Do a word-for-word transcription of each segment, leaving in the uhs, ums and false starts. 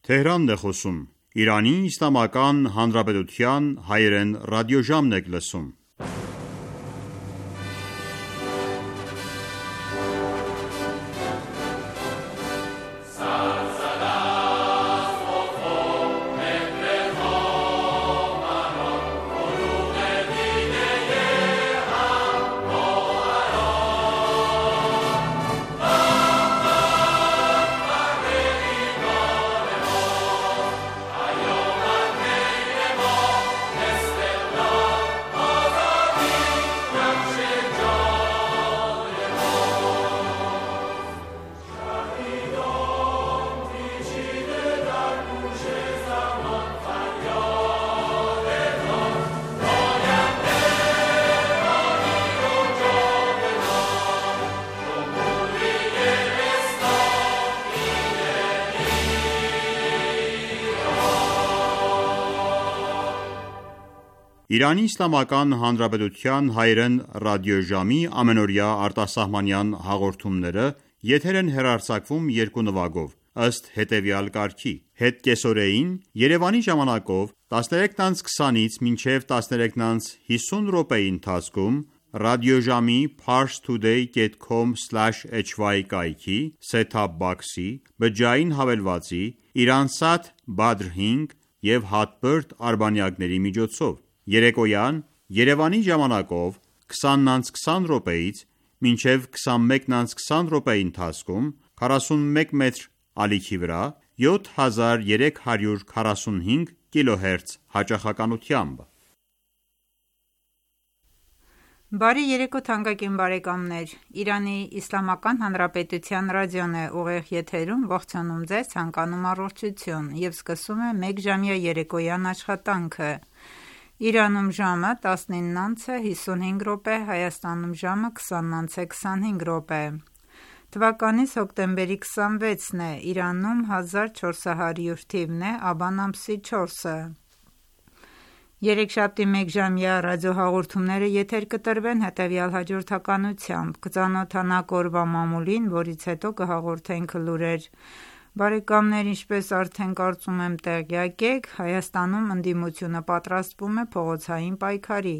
Թեհրանն է խոսում։ Իրանի Իսլամական Հանրապետության հայերեն ռադիոժամն եք լսում։ Իրանի Իսլամական Հանրապետության հայերեն ռադիոժամի ամենօրյա արտասահմանյան հաղորդումները եթեր են հեռարձակվում երկու նվագով, ըստ հետևյալ կարգի. Հետկեսօրեին Երևանի ժամանակով տասներեքից քսանից մինչև տասներեքից հիսուն րոպեի ընթացքում ռադիոժամի parstoday dot com slash h y կայքի set-top box-ի, բջջային հավելվածի, Iransat Badr հինգ և Hotbird արբանյակների միջոցով։ Երեկոյան Երևանի ժամանակով քսանից քսան րոպեից մինչև քսանմեկից քսան րոպեի ընթացքում քառասունմեկ մետր ալիքի վրա յոթ հազար երեք հարյուր քառասունհինգ կիլոհերց հաճախականությամբ։ Բարի երեկո թանկագին բարեկամներ, Իրանի Իսլամական Հանրապետության ռադիոն է ուղիղ եթերում ողջունում ձեզ, ցանկանում առողջություն և սկսում է մեկ ժամյա երեկոյան աշխատանքը։ Իրանում ժամը տասնինից հիսունհինգ րոպե, Հայաստանում ժամը քսանից քսանհինգ րոպե։ Թվականից հոկտեմբերի քսանվեցն է, Իրանում հազար չորս հարյուր թիվն է, աբան ամսի չորսը։ Երեքշաբթի մեկժամյա ռադիոհաղորդումները եթեր կտրվեն հետևյալ հաջորդականությամբ. կծանոթանանք օրվա մամուլին, որից հետո կհաղորդենք լուրեր։ Բարեկամներ, ինչպես արդեն կարծում եմ տեղյակ եք, Հայաստանում ընդդիմությունը պատրաստվում է փողոցային պայքարի։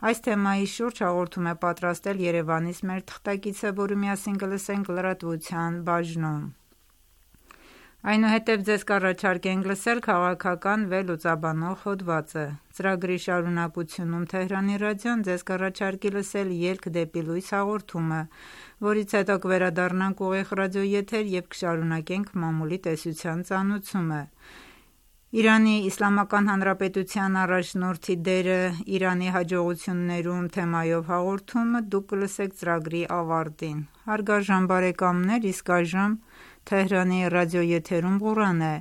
Այս թեմայի շուրջ հաղորդում է պատրաստել Երևանից մեր թղթակիցը, որը միասին կլսենք լրատվության բաժնում։ Այնուհետև ձեզ կառաջարկենք լսել քաղաքական վերլուծաբանող հոդվածը։ Ծրագրի շարունակությունում Թեհրանի ռադիոն ձեզ կառաջարկի լսել «Ելք դեպի լույս» հաղորդումը, որից հետո կվերադառնանք ուղիղ ռադիոեթեր և կշարունակենք մամուլի տեսության ծանուցումը։ Իրանի Իսլամական Հանրապետության առաջնորդի դերը Իրանի հաջողություններում թեմայով հաղորդումը դուք կլսեք ծրագրի ավարտին։ Հարգարժան բարեկամներ, իսկ այժմ Թեհրանի ռադիոեթերում Ղուրան է,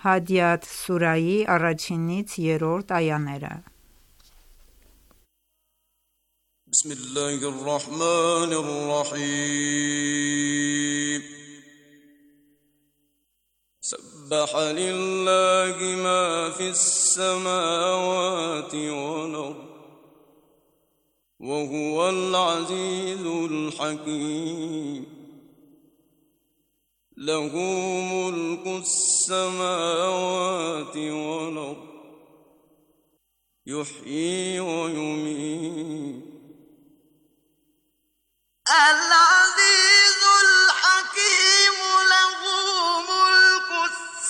Հադիաթ սուրայի առաջինից երրորդ այաները։ Բիսմիլլահիր ռահմանիր ռահիմ سبح لله ما في السماوات والأرض وهو العزيز الحكيم له ملك السماوات والأرض يحيي ويميت العزيز الحكيم له ملك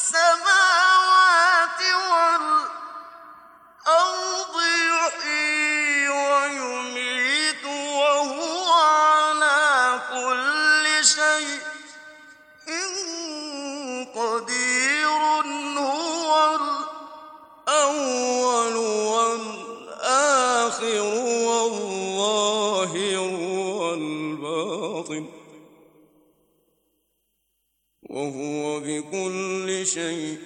السماوات والأرض يحيي ويميت وهو على كل شيء قدير هو الأول والآخر والظاهر والباطن وهو بكل شيء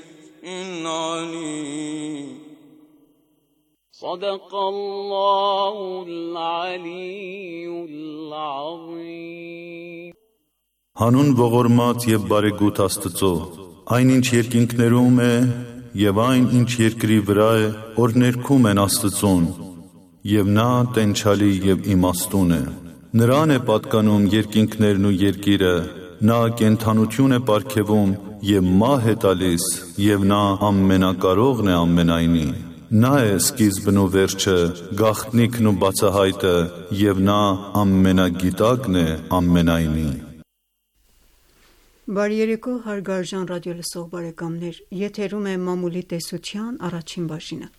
عليم صدق الله العلي العظيم Հանուն ողորմած և բարեգութ Աստծո, այն ինչ երկինքներում է և այն ինչ երկրի վրա է, որ ներքում են Աստծուն, և նա տենչալի և իմաստուն է։ Նրան է պատկանում երկինքներն ու երկիրը, նա կենդանություն է պարգևում և մահ է տալիս, և նա ամենակարողն է ամենայնի։ Նա է սկիզբն ու վերջը, գաղտնիքն ու բացահայտը, և նա ամենագիտակն է ամենայնի։ Բարի երեկո հարգարժան ռադիոլսող բարեկամներ, եթերում է մամուլի տեսության առաջին բաժինը։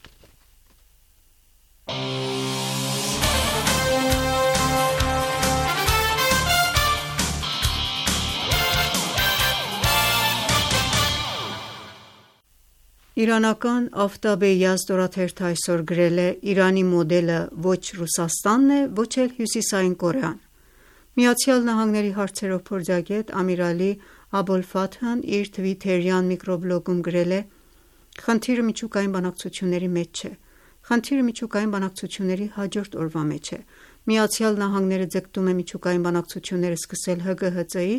Իրանական «Աֆտաբ-ե Յազդ» օրաթերթը այսօր գրել է. «Իրանի մոդելը ոչ Ռուսաստանն է, ոչ էլ Հյուսիսային Կորեան»։ ԱՄՆ-ի հարցերով փորձագետ Ամիր Ալի Աբոլֆաթհն իր թվիթերյան միկրոբլոգում գրել է. «Խնդիրը միջուկային բանակցությունների մեջ չէ, խնդիրը միջուկային բանակցությունների հաջորդ օրվա մեջ է։ ԱՄՆ-ը ձգտում է միջուկային բանակցություններ սկսել Հ Գ Հ Ծ-ի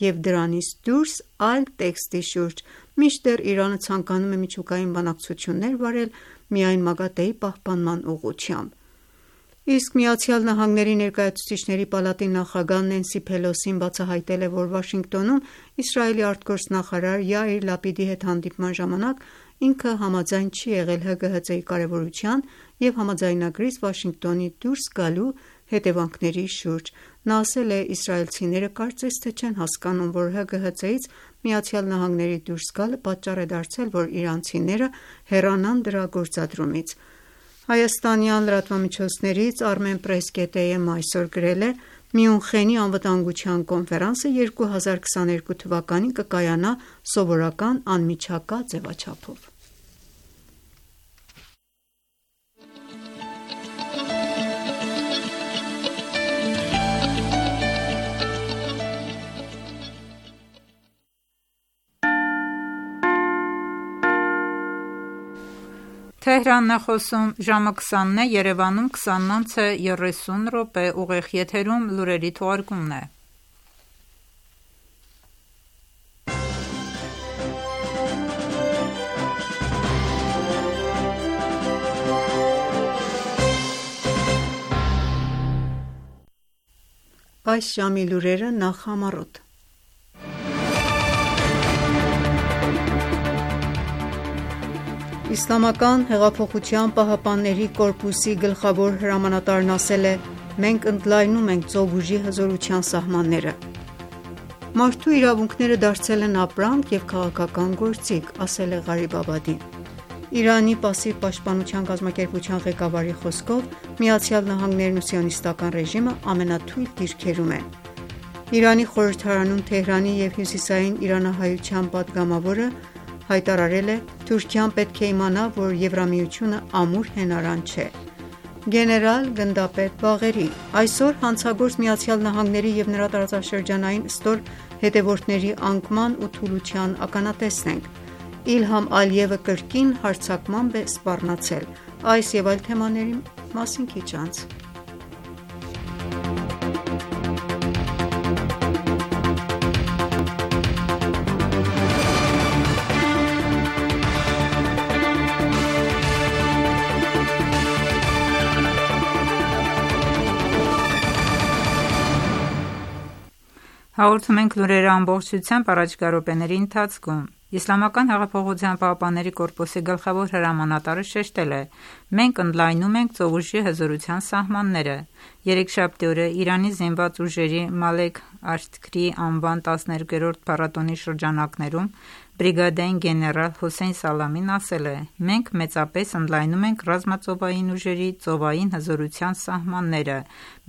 և դրանից դուրս այլ տեքստի շուրջ, մինչդեռ Իրանը ցանկանում է միջուկային բանակցություններ վարել միայն ՄԱԳԱՏԷ-ի պահպանման ուղղությամբ»։ Իսկ ԱՄՆ Ներկայացուցիչների պալատի նախագահ Նենսի Փելոսին բացահայտել է, որ Վաշինգտոնում Իսրայելի արտգործնախարար Յայիր Լապիդի հետ հանդիպման ժամանակ ինքը համաձայն չի եղել Հ Գ Հ Ծ-ի կարևորության և համաձայնագրից Վաշինգտոնի դուրս գալու հետևանքների շուրջ։ Նա ասել է. «Իսրայելցիները կարծես թե չեն հասկանում, որ Հ Գ Հ Ծ-ից ԱՄՆ դուրս գալը պատճառ է դարձել, որ իրանցիները հեռանան դրա գործադրումից»։ Հայաստանյան լրատվամիջոցներից Armenpress.am այսօր գրել է. «Մյունխենի անվտանգության կոնֆերանսը երկու հազար քսաներկու թվականին կկայանա սովորական անմիջական ձևաչափով»։ Թեհրանն է խոսում, ժամը քսանն է, Երևանում քսանն անց է երեսուն րոպե, ուղիղ եթերում լուրերի թողարկումն է։ Այս ժամի լուրերը նախ համառոտ։ Իսլամական հեղափոխության պահապանների կորպուսի գլխավոր հրամանատարն ասել է. «Մենք ընդլայնում ենք ծովուժի հզորության սահմանները»։ Մարդու իրավունքները դարձել են ապրանք և քաղաքական գործիք, ասել է Ղարիբ Աբադին։ Իրանի պասիվ պաշտպանության կազմակերպության ղեկավարի խոսքով ԱՄՆ-ն ու սիոնիստական ռեժիմը ամենաթույլ դիրքերում են։ Իրանի խորհրդարանում Թեհրանի և հյուսիսային իրանահայության պատգամավորը հայտարարել է. «Թուրքիան պետք է իմանա, որ Եվրամիությունը ամուր հենարան չէ»։ Գեներալ գնդապետ Բաղերի. «Այսօր հանցագործ ԱՄՆ-ի և նրա տարածաշրջանային ստոր հետևորդների անկման ու թուլության ականատեսն ենք։ Իլհամ Ալիևը կրկին հարձակմամբ է սպառնացել»։ Այս և այլ թեմաների մասին քիչ անց։ Հաղորդում ենք լուրերը ամբողջությամբ առաջիկա րոպեների ընթացքում։ Իսլամական հեղափոխության պահապանների կորպուսի գլխավոր հրամանատարը շեշտել է. «Մենք ընդլայնում ենք ծովուժի հզորության սահմանները»։ Երեքշաբթի օրը Իրանի զինված ուժերի Մալեք Աշքարի անվան տասներկերորդ փառատոնի շրջանակներում բրիգադային գեներալ Հոսեյն Սալամին ասել է. «Մենք մեծապես ընդլայնում ենք ռազմածովային ուժերի ծովային հզորության սահմանները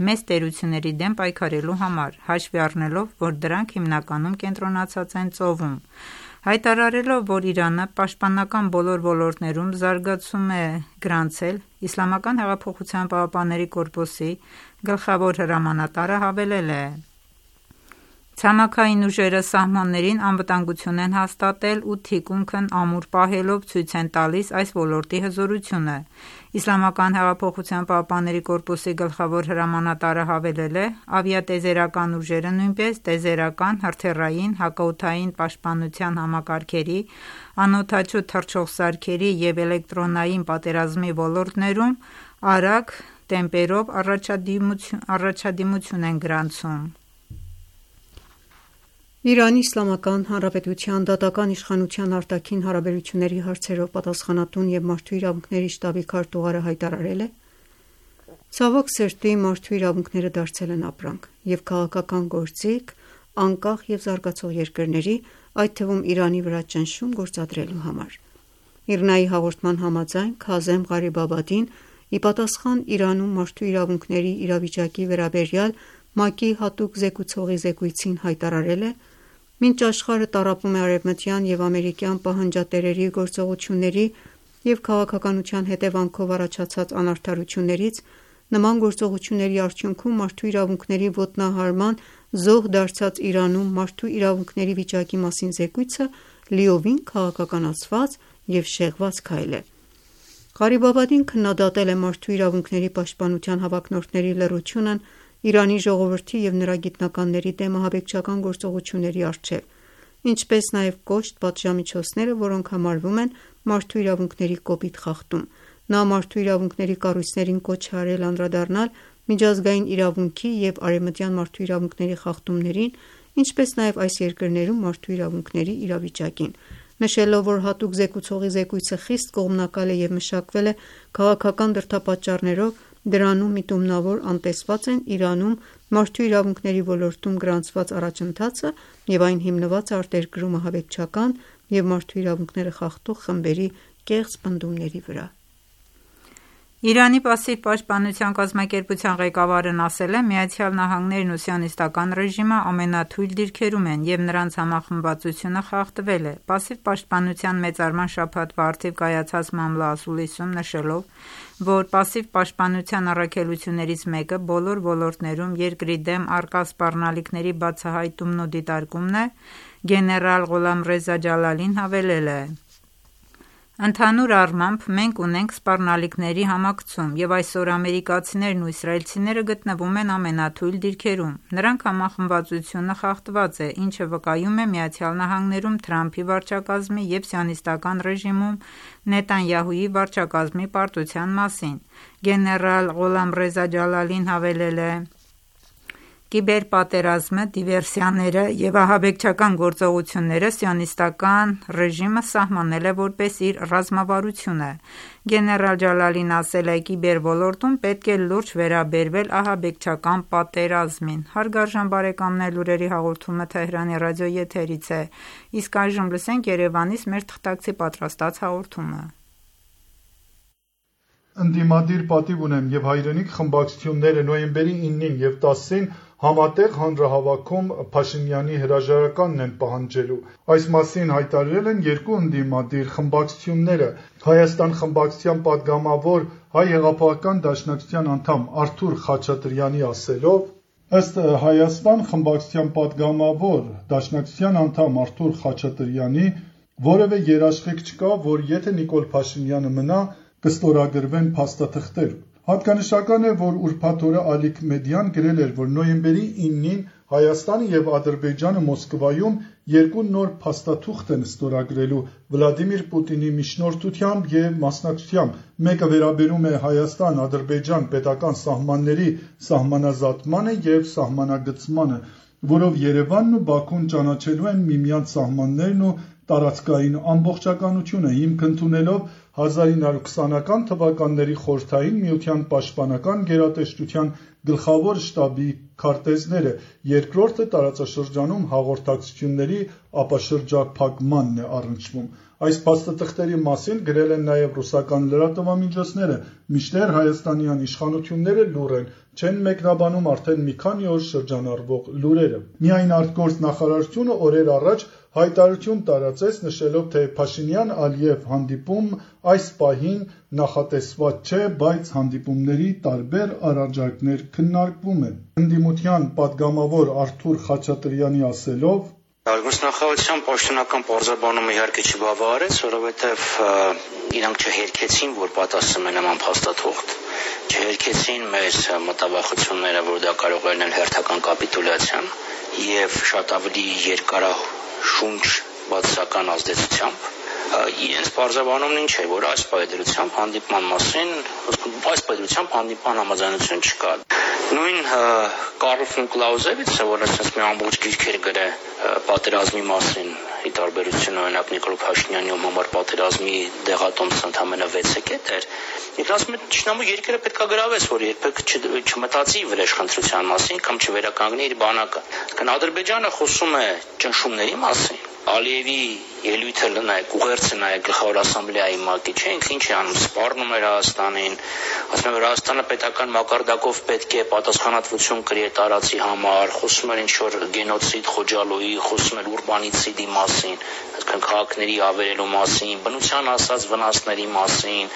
մեծ տերությունների դեմ պայքարելու համար, հաշվի առնելով, որ դրանք հիմնականում կենտրոնացած են ծովում»։ Հայտարարելով, որ Իրանը պաշտպանական բոլոր ոլորտներում զարգացում է գրանցել, Իսլամական հեղափոխության պահապանների կորպուսի գլխավոր հրամանատարը հավելել է. «Ցամաքային ուժերը սահմաններին անվտանգություն են հաստատել ու թիկունքն ամուր պահելով ցույց են տալիս այս ոլորտի հզորությունը»։ Իսլամական հեղափոխության պահապանների կորպուսի գլխավոր հրամանատարը հավելել է. «Ավիատիեզերական ուժերը նույնպես տիեզերական, հրթիռային, հակաօդային պաշտպանության համակարգերի, անօդաչու թռչող սարքերի և էլեկտրոնային պատերազմի ոլորտներում արագ տեմպերով առաջադիմություն են գրանցում»։ Իրանի Իսլամական Հանրապետության դատական իշխանության արտաքին հարաբերությունների հարցերով պատասխանատուն և մարդու իրավունքների շտաբի քարտուղարը հայտարարել է. «Ցավոք սրտի, մարդու իրավունքները դարձել են ապրանք և քաղաքական գործիք անկախ և զարգացող երկրների, այդ թվում Իրանի վրա ճնշում գործադրելու համար»։ ԻՌՆԱ-ի հաղորդման համաձայն Քազեմ Ղարիբաբադին ի պատասխան Իրանում մարդու իրավունքների իրավիճակի վերաբերյալ ՄԱԿ-ի հատուկ զեկուցողի զեկույցին հայտարարել է. «Մինչ աշխարհը տառապում է արևմտյան և ամերիկյան պահանջատերերի գործողությունների և քաղաքականության հետևանքով առաջացած անարդարություններից, նման գործողությունների արդյունքում մարդու իրավունքների ոտնահարման զոհ դարձած Իրանում մարդու իրավունքների վիճակի մասին զեկույցը լիովին քաղաքականացված և շեղված քայլ է»։ Ղարիբաբադին քննադատել է մարդու իրավունքների պաշտպանության հավակնորդների լռությունն Իրանի ժողովրդի և նրա գիտնականների դեմ ահաբեկչական գործողությունների առջև, ինչպես նաև կոշտ պատժամիջոցները, որոնք համարվում են մարդու իրավունքների կոպիտ խախտում։ Նա մարդու իրավունքների կառույցներին կոչ է արել անդրադառնալ միջազգային իրավունքի և արևմտյան մարդու իրավունքների խախտումներին, ինչպես նաև այս երկրներում մարդու իրավունքների իրավիճակին, նշելով, որ հատուկ զեկուցողի զեկույցը խիստ կողմնակալ է և մշակվել է քաղաքական դրդապատճառներով, դրանում միտումնավոր անտեսված են Իրանում մարդու իրավունքների ոլորտում գրանցված առաջընթացը և այն հիմնված է արտերկրում ահաբեկչական և մարդու իրավունքները խախտող խմբերի կեղծ պնդումների վրա։ Իրանի պասիվ պաշտպանության կազմակերպության ղեկավարն ասել է. «ԱՄՆ-ն ու Սիոնիստական ռեժիմը ամենաթույլ դիրքերում են և նրանց համախմբվածությունը խախտվել է»։ Պասիվ պաշտպանության մեծարման շաբաթվա առթիվ կայացած Մամլա ասուլիսում նշելով, որ պասիվ պաշտպանության առաքելություններից մեկը բոլոր ոլորտներում երկրի դեմ առկա սպառնալիքների բացահայտումն ու դիտարկումն է, գեներալ Ղոլամռեզա Ջալալին հավելել է. «Ընդհանուր առմամբ մենք ունենք սպառնալիքների համակցում, և այսօր ամերիկացիներն ու իսրայելցիները գտնվում են ամենաթույլ դիրքերում։ Նրանք համախմբվածությունը խախտված է, ինչը վկայում է ԱՄՆ-ում Թրամփի վարչակազմի և Սիոնիստական ռեժիմում Նետանյահուի վարչակազմի պարտության մասին»։ Գեներալ Ղոլամռեզա Ջալալին հավելել է. «Կիբերպատերազմը, դիվերսիաները և ահաբեկչական գործողությունները Սիոնիստական ռեժիմը սահմանել է որպես իր ռազմավարությունը»։ Գեներալ Ջալալին ասել է. «Կիբերոլորտում պետք է լուրջ վերաբերվել ահաբեկչական պատերազմին»։ Հարգարժան բարեկամներ, լուրերի հաղորդումը Թեհրանի ռադիոյի եթերից է, իսկ այժմ լսենք Երևանից մեր թղթակցի պատրաստած հաղորդումը։ Ընդդիմադիր պատիվ ունեմ և հայրենիք խմբակցությունները նոյեմբերի իննին և տասին համատեղ հանրահավաքում Փաշինյանի հրաժարականն են պահանջելու։ Այս մասին հայտարարել են երկու ընդդիմադիր խմբակցությունները։ Հայաստան խմբակցության պատգամավոր Հայ հեղափոխական դաշնակցության անդամ Արթուր Խաչատրյանի ասելով. ըստ Հայաստան խմբակցության պատգամավոր դաշնակցության անդամ Արթուր Խաչատրյանի, որևէ երաշխիք չկա, որ եթե Նիկոլ Փաշինյանը մնա, կստորագրվեն փաստաթղթեր։ Հատկանշական է, որ ուրբաթ օրը Ալիք Մեդիան գրել էր, որ նոյեմբերի իննին Հայաստանը և Ադրբեջանը Մոսկվայում երկու նոր փաստաթուղթ են ստորագրելու Վլադիմիր Պուտինի միջնորդությամբ և մասնակցությամբ։ Մեկը վերաբերում է Հայաստան-Ադրբեջան պետական սահմանների սահմանազատմանը և սահմանագծմանը, որով Երևանն ու Բաքուն ճանաչելու են միմյանց սահմաններն ու տարածքային ամբողջականությունը, հիմք ընդունելով հազար ինը հարյուր քսանական թվականների Խորհրդային Միության պաշտպանական գերատեսչության գլխավոր շտաբի քարտեզները, երկրորդը տարածաշրջանում հաղորդակցությունների ապաշրջափակմանն է առնչվում։ Այս փաստաթղթերի մասին գրել են նաև ռուսական լրատվամիջոցները, մինչդեռ հայաստանյան իշխանությունները լուռ են, չեն մեկնաբանում արդեն մի քանի օր շրջանառվող լուրերը։ Միայն ԱԳ նախարարությունը օրեր առաջ հայտարարություն տարածեց, նշելով, թե Փաշինյան-Ալիև հանդիպում այս պահին նախատեսված չէ, բայց հանդիպումների տարբեր առաջարկներ քննարկվում են։ Ընդդիմության պատգամավոր Արթուր Խաչատրյանի ասելով. Արտգործնախարարության պաշտոնական պարզաբանումը իհարկե չբավարարեց, որովհետև իրանք չհերքեցին, որ պատասխանում են նման փաստաթուղթ, չհերքեցին մեր մտավախությունները, որ դա կարող է լինել հերթական կապիտուլյացիան եւ շատ ավելի երկարաշունչ բացասական ազդեցությամբ։ Իրենց պարզաբանումն ինչ է, որ այս պայդրությամբ հանդիպման մասին, այս պայդրությամբ հանդիպման համաձայնություն չկա։ Նույն Կարլ ֆոն Կլաուզևիցը, որը ասես մի ամբողջ գիրքեր գրել պատերազմի մասին, ի տարբերություն օրինակ Նիկոլ Փաշինյանի ում համար պատերազմի դեղատոմսը ընդամենը վեցը կետ էր, ինքն ասում է ճշնամու երկրը պետք է գրավես, որ երբեք չմտածի վրեժխնդրության մասին կամ չվերականգնի իր բանակը։ Կան Ադրբեջանը խոսում է ճնշումների մասին, Ալիևի ելույթը նայեք, ուղերձը նայեք գլխավոր ասամբլեայի մակի, չէ, ինքը ինչ է անում, սպառնում էր Հայաստանին, ասում է, որ Հայաստանը պետական մակարդակով պետք է պատասխանատվություն կրի տարածի համար, խոսում էր ինչ-որ գենոցիդ Խոջալոյի, խոսում էր ուրբանիցիդի մասին, այսինքն քաղաքների ավերելու մասին, բնության ասած վնասների մասին,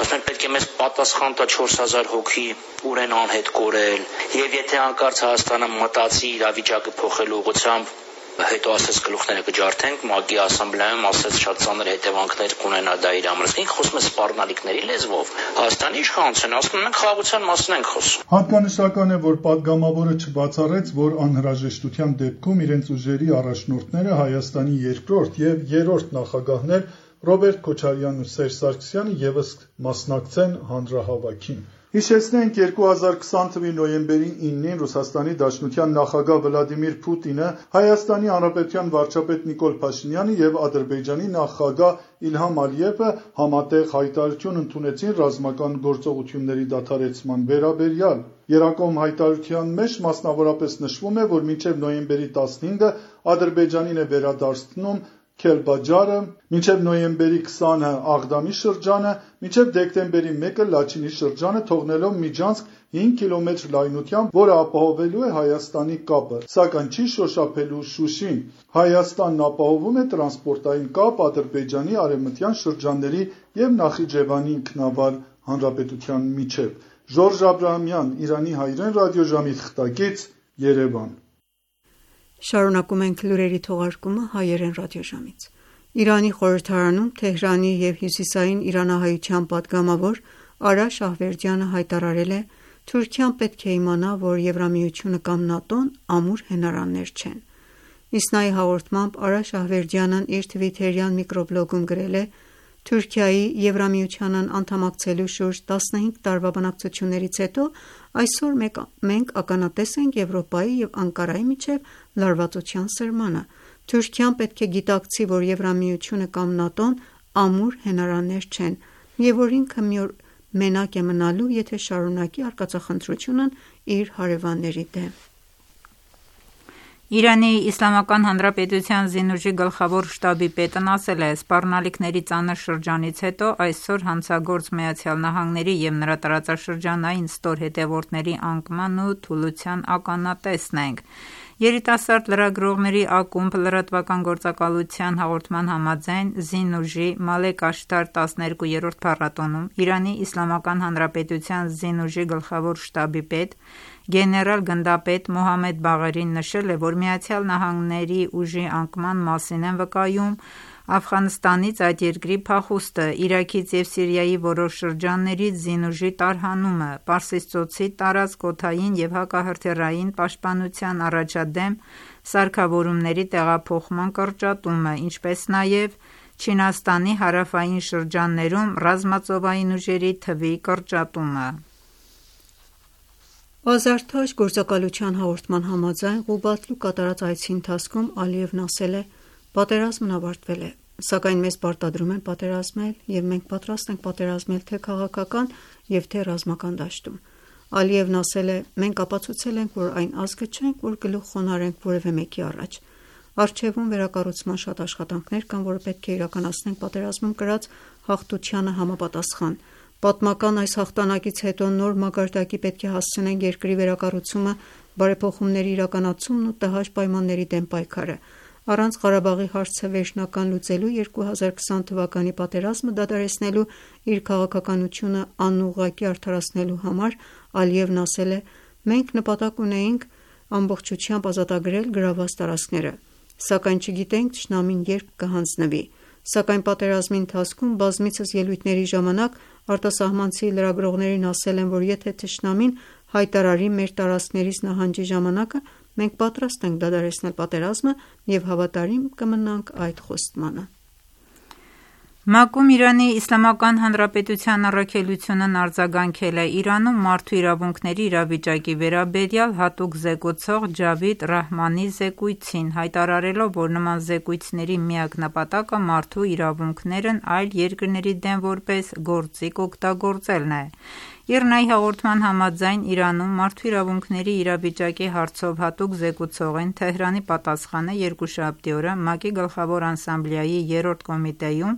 ասում են պետք է մեզ պատասխան տա չորս հազար հոգի ուր են անհետ կորել, եւ եթե հանկարծ Հայաստանը մտածի իրավիճակը փոխելու ուղղությամբ հետո ասես գլուխները կջարդենք, ՄԱԿ-ի ասամբլեայում ասես շատ ծանր հետևանքներ կունենա դա իր համար։ Ինքը խոսում է սպառնալիքների լեզվով։ Հայաստանի իշխանությունն ասում են մենք խաղաղության մասին ենք խոսում։ Հատկանշական է, որ պատգամավորը չբացառեց, որ անհրաժեշտության դեպքում իրենց ուժերի առաջնորդները Հայաստանի երկրորդ եւ երրորդ նախագահներ Ռոբերտ Քոչարյանն ու Սերժ Սարգսյանը եւս մասնակցեն հանրահավաքին։ Հիշեցնենք երկու հազար քսան թվականի նոյեմբերի իննին Ռուսաստանի Դաշնության նախագահ Վլադիմիր Պուտինը, Հայաստանի Հանրապետության վարչապետ Նիկոլ Փաշինյանը եւ Ադրբեջանի նախագահ Իլհամ Ալիևը համատեղ հայտարարություն ընդունեցին ռազմական գործողությունների դադարեցման վերաբերյալ։ Երակոմ հայտարարության մեջ մասնավորապես նշվում է, որ մինչև նոյեմբերի տասնհինգը Ադրբեջանին է վերադարձնում Քելբաջարը, մինչև նոյեմբերի քսանը Աղդամի շրջանը, մինչև դեկտեմբերի մեկը Լաչինի շրջանը, թողնելով միջանցք հինգ կիլոմետր լայնությամբ, որը ապահովելու է Հայաստանի կապը, սակայն չի շոշափելու Շուշին։ Հայաստանն ապահովում է տրանսպորտային կապ Ադրբեջանի արևմտյան շրջանների եւ Նախիջևանի ինքնավար հանրապետության միջև։ Ժորժ Աբրահամյան, Իրանի հայրեն ռադիոժամի թղթակից, Երևան։ Շարունակում ենք լուրերի թողարկումը հայերեն ռադիոժամից։ Իրանի խորհրդարանում Թեհրանի եւ հյուսիսային իրանահայության պատգամավոր Արա Շահվերդյանը հայտարարել է. Թուրքիան պետք է իմանա, որ Եվրամիությունը կամ ՆԱՏՕ-ն ամուր հենարաններ չեն։ Իսնայի հաղորդմամբ Արա Շահվերդյանն իր թվիթերյան միկրոբլոգում գրել է. Թուրքիայի Եվրամիությանն անդամակցելու շուրջ տասնհինգ տարվա բանակցություններից հետո այսօր մենք ականատես ենք Եվրոպայի եւ Անկարայի միջև լարվածության սրմանը։ Թուրքիան պետք է գիտակցի, որ Եվրամիությունը կամ ՆԱՏՕ-ն ամուր հենարաններ չեն, եւ որ ինքը մի օր մենակ է մնալու, եթե շարունակի արկածախնդրությունն իր հարևանների դեմ։ Իրանի Իսլամական Հանրապետության զինուժի գլխավոր շտաբի պետն ասել է. սպառնալիքների ծանր շրջանից հետո այսօր հանցագործ Միացյալ Նահանգների եւ նրա տարածաշրջանային ստոր հետևորդների անկման ու թուլության ականատեսն ենք։ Երիտասարդ լրագրողների ակումբ լրատվական գործակալության հաղորդման համաձայն զինուժի Մալեք Աշտար տասներկուերորդ փառատոնում Իրանի Իսլամական Հանրապետության զինուժի գլխավոր շտաբի պետ գեներալ գնդապետ Մոհամմեդ Բաղերին նշել է, որ Միացյալ Նահանգների ուժի անկման մասին են վկայում Աֆղանստանից այդ երկրի փախուստը, Իրաքից եւ Սիրիայի որոշ շրջաններից զինուժի տարհանումը, Պարսից ծոցի տարածք օդային եւ հակահրթիռային պաշտպանության առաջադեմ սարքավորումների տեղափոխման կրճատումը, ինչպես նաեւ Չինաստանի հարավային շրջաններում ռազմածովային ուժերի թվի կրճատումը։ Ազարթաշ գործակալության հաղորդման համաձայն Ղուբատլու կատարած այցի ընթացքում Ալիևն ասել է. Պատերազմն ավարտվել է, սակայն մեզ պարտադրում են պատերազմել եւ մենք պատրաստ ենք պատերազմել թե քաղաքական եւ թե ռազմական դաշտում։ Ալիևն ասել է. մենք ապացուցել ենք, որ այն ազգը չենք, որ գլուխ խոնարհենք որևէ մեկի առաջ։ Առջևում վերակառուցման շատ աշխատանքներ կան, որը պետք է իրականացնենք պատերազմում կրած հաղթությանը համապատասխան։ Պատմական այս հաղթանակից հետո նոր մակարդակի պետք է հասցնենք երկրի վերակառուցումը, բարեփոխումների իրականացումն ու տհաճ պայմանների դեմ պայքարը։ Առանց Ղարաբաղի հարցը վերջնական լուծելու երկու հազար քսան թվականի պատերազմը դադարեցնելու իր քաղաքականությունը անուղղակի արդարացնելու համար Ալիևն ասել է. մենք նպատակ ունեինք ամբողջությամբ ազատագրել գրաված տարածքները, սակայն չգիտենք թշնամին երբ կհանձնվի։ Սակայն պատերազմի ընթացքում բազմիցս ելույթների ժամանակ արտասահմանցի լրագրողներին ասել են, որ եթե թշնամին հայտարարի մեր տարածքներից նահանջի ժամանակը, մենք պատրաստ ենք դադարեցնել պատերազմը եւ հավատարիմ կմնանք այդ խոստմանը։ ՄԱԿ-ում Իրանի Իսլամական Հանրապետության առաքելությունն արձագանքել է Իրանում մարդու իրավունքների իրավիճակի վերաբերյալ հատուկ զեկուցող Ջավիդ Ռահմանի զեկույցին, հայտարարելով, որ նման զեկույցների միակ նպատակը մարդու իրավունքներն այլ երկրների դեմ որպես գործիք օգտագործելն է։ ԻՌՆԱ-ի հաղորդման համաձայն Իրանում մարդու իրավունքների իրավիճակի հարցով հատուկ զեկուցողին Թեհրանի պատասխանը երկուշաբթի օրը ՄԱԿ-ի Գլխավոր ասամբլեայի երրորդ կոմիտեում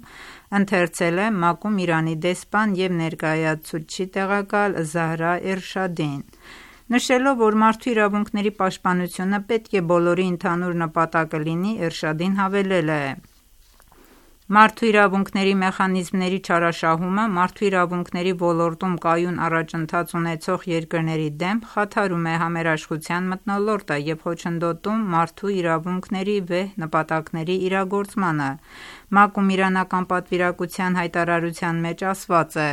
ընթերցել է ՄԱԿ-ում Իրանի դեսպան և ներկայացուցչի տեղակալ Զահրա Էրշադին։ Նշելով, որ մարդու իրավունքների պաշտպանությունը պետք է բոլորի ընդհանուր նպատակը լինի, Էրշադին հավելել է. Մարդու իրավունքների մեխանիզմների չարաշահումը մարդու իրավունքների ոլորտում կայուն առաջընթաց ունեցող երկրների դեմ խաթարում է համերաշխության մթնոլորտը և խոչընդոտում մարդու իրավունքների վեհ նպատակների իրագործմանը։ ՄԱԿ-ում իրանական պատվիրակության հայտարարության մեջ ասված է.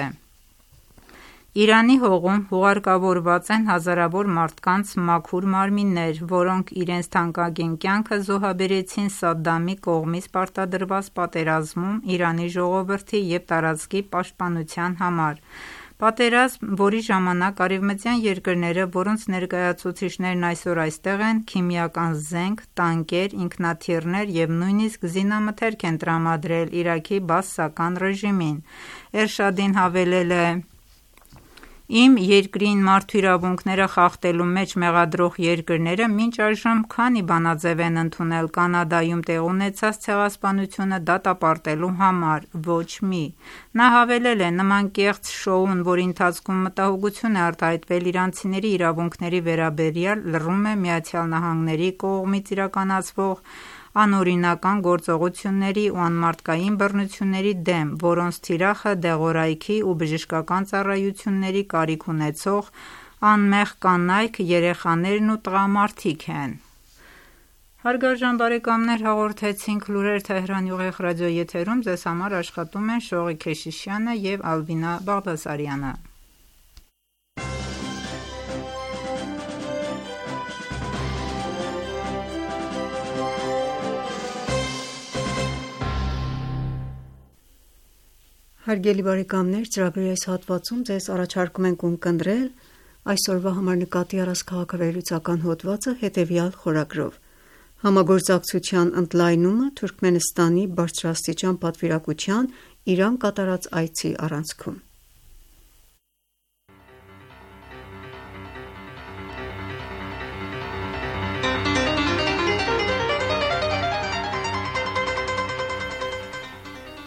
Իրանի հողում հուղարկավորված են հազարավոր մարդկանց մաքուր մարմիններ, որոնք իրենց թանկագին կյանքը զոհաբերեցին Սադդամի կողմից պարտադրված պատերազմում Իրանի ժողովրդի և տարածքի պաշտպանության համար։ Պատերազմ, որի ժամանակ արևմտյան երկրները, որոնց ներկայացուցիչներն այսօր այստեղ են, քիմիական զենք, տանկեր, ինքնաթիռներ և նույնիսկ զինամթերք են տրամադրել Իրաքի բաասական ռեժիմին։ Էրշադին հավելել է. Իմ երկրին մարդու իրավունքները խախտելու մեջ մեղադրող երկրները մինչ այժմ քանի բանաձև են ընդունել Կանադայում տեղի ունեցած ցեղասպանությունը դատապարտելու համար։ Ոչ մի։ Նա հավելել է. նման կեղծ շոուն, որի ընթացքում մտահոգություն է արտահայտվել իրանցիների իրավունքների վերաբերյալ, լռում է ԱՄՆ-ի կողմից իրականացվող անօրինական գործողությունների ու անմարդկային բռնությունների դեմ, որոնց թիրախը դեղորայքի ու բժշկական ծառայությունների կարիք ունեցող անմեղ կանայք, երեխաներն ու տղամարդիկ են։ Հարգարժան բարեկամներ, հաղորդեցինք լուրեր Թեհրանի ուղիղ ռադիոեթերում, ձեզ համար աշխատում են Շողիկ Քեշիշյանը և Ալբինա Բաղդասարյանը։ Հարգելի բարեկամներ, ծրագրի այս հատվածում ձեզ առաջարկում ենք ունկնդրել այսօրվա համար նկատի առած քաղաքավարության հոդվածը հետևյալ խորագրով. Համագործակցության ընդլայնումը Թուրքմենստանի բարձրաստիճան պատվիրակության Իրան կատարած այցի առանցքում։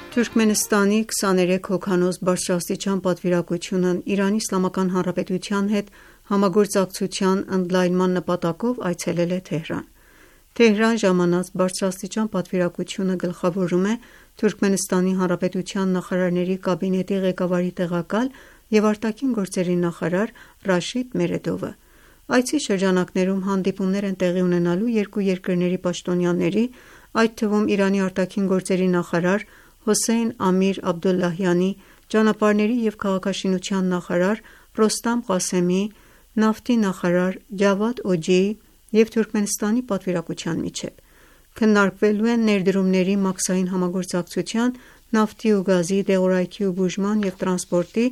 Թուրքմենստանի քսաներեք հոգանոց բարձրաստիճան պատվիրակությունն Իրանի Իսլամական Հանրապետության հետ համագործակցության ընդլայնման նպատակով այցելել է Թեհրան։ Թեհրան ժամանած բարձրաստիճան պատվիրակությունը գլխավորում է Թուրքմենստանի Հանրապետության նախարարների կաբինետի ղեկավարի տեղակալ և արտաքին գործերի նախարար Ռաշիդ Մերեդովը։ Այցի շրջանակներում հանդիպումներ են տեղի ունենալու երկու երկրների պաշտոնյաների, այդ թվում Իրանի արտաքին գործերի նախարար Հոսեյն Ամիր Աբդոլլահյանի, ճանապարհների և քաղաքաշինության նախարար Ռոստամ Ղասեմի, նավթի նախարար Ջավադ Օջիի և Թուրքմենստանի պատվիրակության միջև։ Քննարկվելու են ներդրումների մաքսային համագործակցության, նավթի ու գազի, դեղորայքի ու բուժման և տրանսպորտի,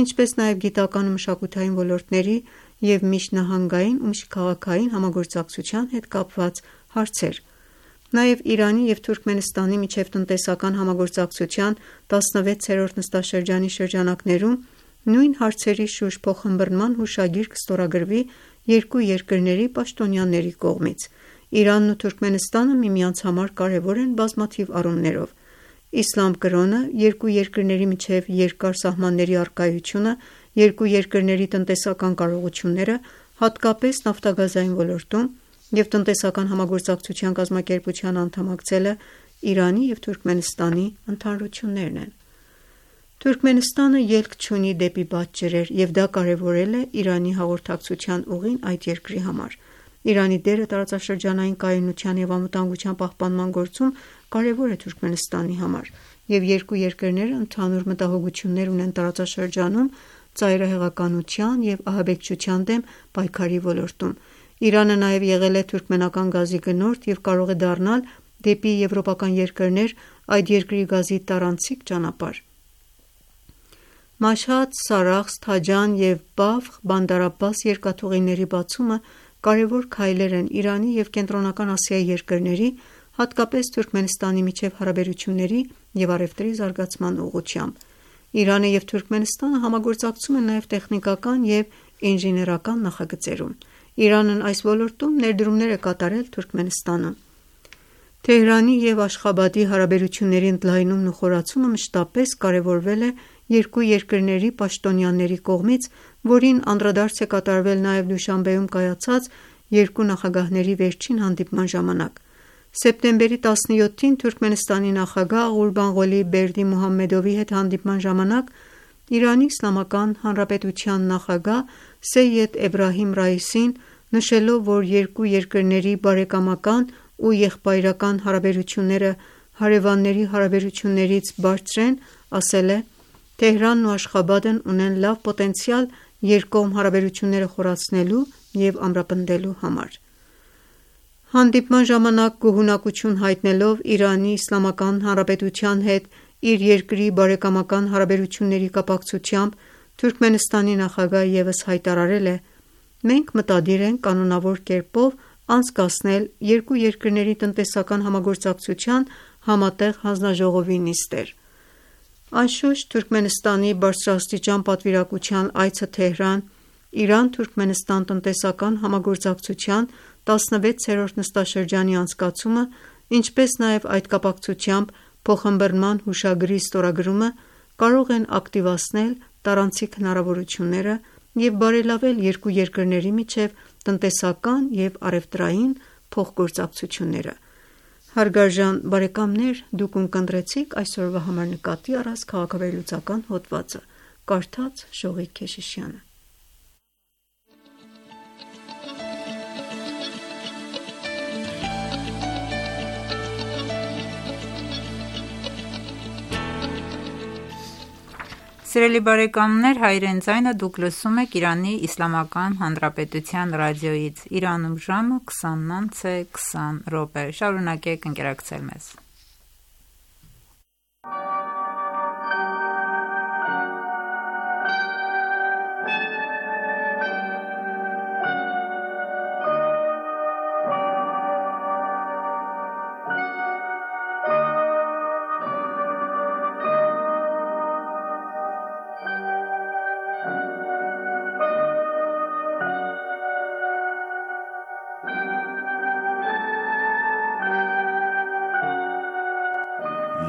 ինչպես նաև գիտական ու մշակութային ոլորտների և միջնահանգային ու միջքաղաքային համագործակցության հետ կապված հարցեր։ Նաև Իրանի և Թուրքմենստանի միջև տնտեսական համագործակցության տասնվեցերորդ նստաշրջանի շրջանակներում նույն հարցերի շուրջ փոխըմբռնման հուշագիր կստորագրվի երկու երկրների պաշտոնյաների կողմից։ Իրանն ու Թուրքմենստանը միմյանց համար կարևոր են բազմաթիվ առումներով։ Իսլամ կրոնը, երկու երկրների միջև երկար սահմանների առկայությունը, երկու երկրների տնտեսական կարողությունները, հատկապես նավթագազային ոլորտում, և տնտեսական համագործակցության կազմակերպության անդամակցելը Իրանի և Թուրքմենստանի ընդհանրություններն են։ Թուրքմենստանը ելք չունի դեպի բաց-ջրեր, և դա կարևորել է Իրանի հաղորդակցության ուղին այդ երկրի համար։ Իրանի դերը տարածաշրջանային կայունության և անվտանգության պահպանման գործում կարևոր է Թուրքմենստանի համար, և երկու երկրները ընդհանուր մտահոգություններ ունեն տարածաշրջանում ծայրահեղականության և ահաբեկչության դեմ պայքարի ոլորտում։ Իրանը նաև եղել է թուրքմենական գազի գնորդ և կարող է դառնալ դեպի եվրոպական երկրներ այդ երկրի գազի տարանցիկ ճանապարհ։ Մաշհադ, Սարախս, Թաջան և Բավխ Բանդար Աբբաս երկաթուղիների բացումը կարևոր քայլեր են Իրանի և Կենտրոնական Ասիայի երկրների, հատկապես Թուրքմենստանի միջև հարաբերությունների և առևտրի զարգացման ուղղությամբ։ Իրանը և Թուրքմենստանը համագործակցում են նաև տեխնիկական և ինժեներական նախագծերում։ Իրանն այս ոլորտում ներդրումներ է կատարել Թուրքմենստանում։ Թեհրանի և Աշխաբադի հարաբերությունների ընդլայնումն ու խորացումը մշտապես կարևորվել է երկու երկրների պաշտոնյաների կողմից, որին անդրադարձ է կատարվել նաև Դուշանբեում կայացած երկու նախագահների վերջին հանդիպման ժամանակ։ Սեպտեմբերի տասնյոթին Թուրքմենստանի նախագահ Ղուրբանղոլի Բերդիմուհամմեդովի հետ հանդիպման ժամանակ Իրանի Իսլամական Հանրապետության նախագահ Սեյեդ Էբրահիմ Ռայիսին, նշելով, որ երկու երկրների բարեկամական ու եղբայրական հարաբերությունները հարևանների հարաբերություններից բարձր են, ասել է. «Թեհրանն ու Աշխաբադն ունեն լավ պոտենցիալ երկկողմ հարաբերությունները խորացնելու և ամրապնդելու համար»։ Հանդիպման ժամանակ գոհունակություն հայտնելով Իրանի Իսլամական Հանրապետության հետ իր երկրի բարեկամական հարաբերությունների կապակցությամբ, Թուրքմենստանի նախագահը ևս հայտարարել է. «Մենք մտադիր ենք կանոնավոր կերպով անցկացնել երկու երկրների տնտեսական համագործակցության համատեղ հանձնաժողովի նիստեր»։ Անշուշտ, Թուրքմենստանի բարձրաստիճան պատվիրակության այցը Թեհրան Իրան-Թուրքմենստան տնտեսական համագործակցության տասնվեցերորդ նստաշրջանի անցկացումը, ինչպես նաև այդ կապակցությամբ փոխըմբռնման հուշագրի ստորագրումը կարող են ակտիվացնել տարանցիկ հնարավորությունները և բարելավել երկու երկրների միջև տնտեսական և առևտրային փոխգործակցությունները։ Հարգարժան բարեկամներ, դուք ունկնդրեցիք այսօրվա համար նկատի առած քաղաքավերլուծական հոդվածը։ Կարդաց Շողիկ Քեշիշյանը։ Սիրելի բարեկամներ, հայրեն ձայնը դուք լսում եք Իրանի Իսլամական Հանրապետության ռադիոյից։ Իրանում ժամը քսանն անց է քսան րոպե։ Շարունակեք ընկերակցել մեզ։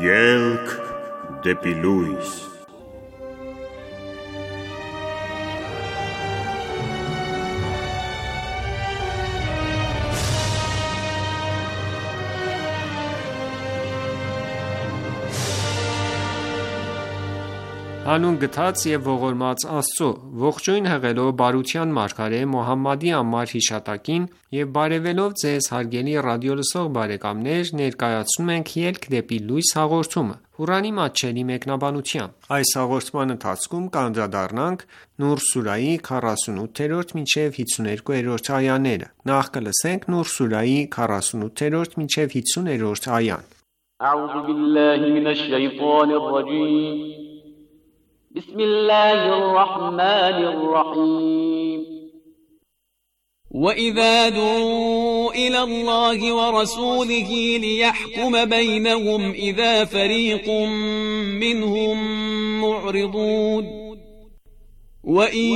Ելք դեպի լույս։ Հանուն գթած և ողորմած Աստծո, ողջույն հղելով բարության մարգարե Մոհամմադի անմար հիշատակին և բարևելով ձեզ հարգելի ռադիոլսող բարեկամներ, ներկայացնում ենք «Ելք դեպի լույս» հաղորդումը, Ղուրանի մատչելի մեկնաբանությամբ։ Այս հաղորդման ընթացքում կանդրադառնանք Նուր սուրահի քառասունութերորդ մինչև հինգսունութերորդ այաները։ Նախ կլսենք Նուր սուրահի քառասունութերորդ մինչև հինգսուներորդ այան։ أعوذ بالله من الشيطان الرجيم بسم الله الرحمن الرحيم وإذا دعوا إلى الله ورسوله ليحكم بينهم إذا فريق منهم معرضون وإن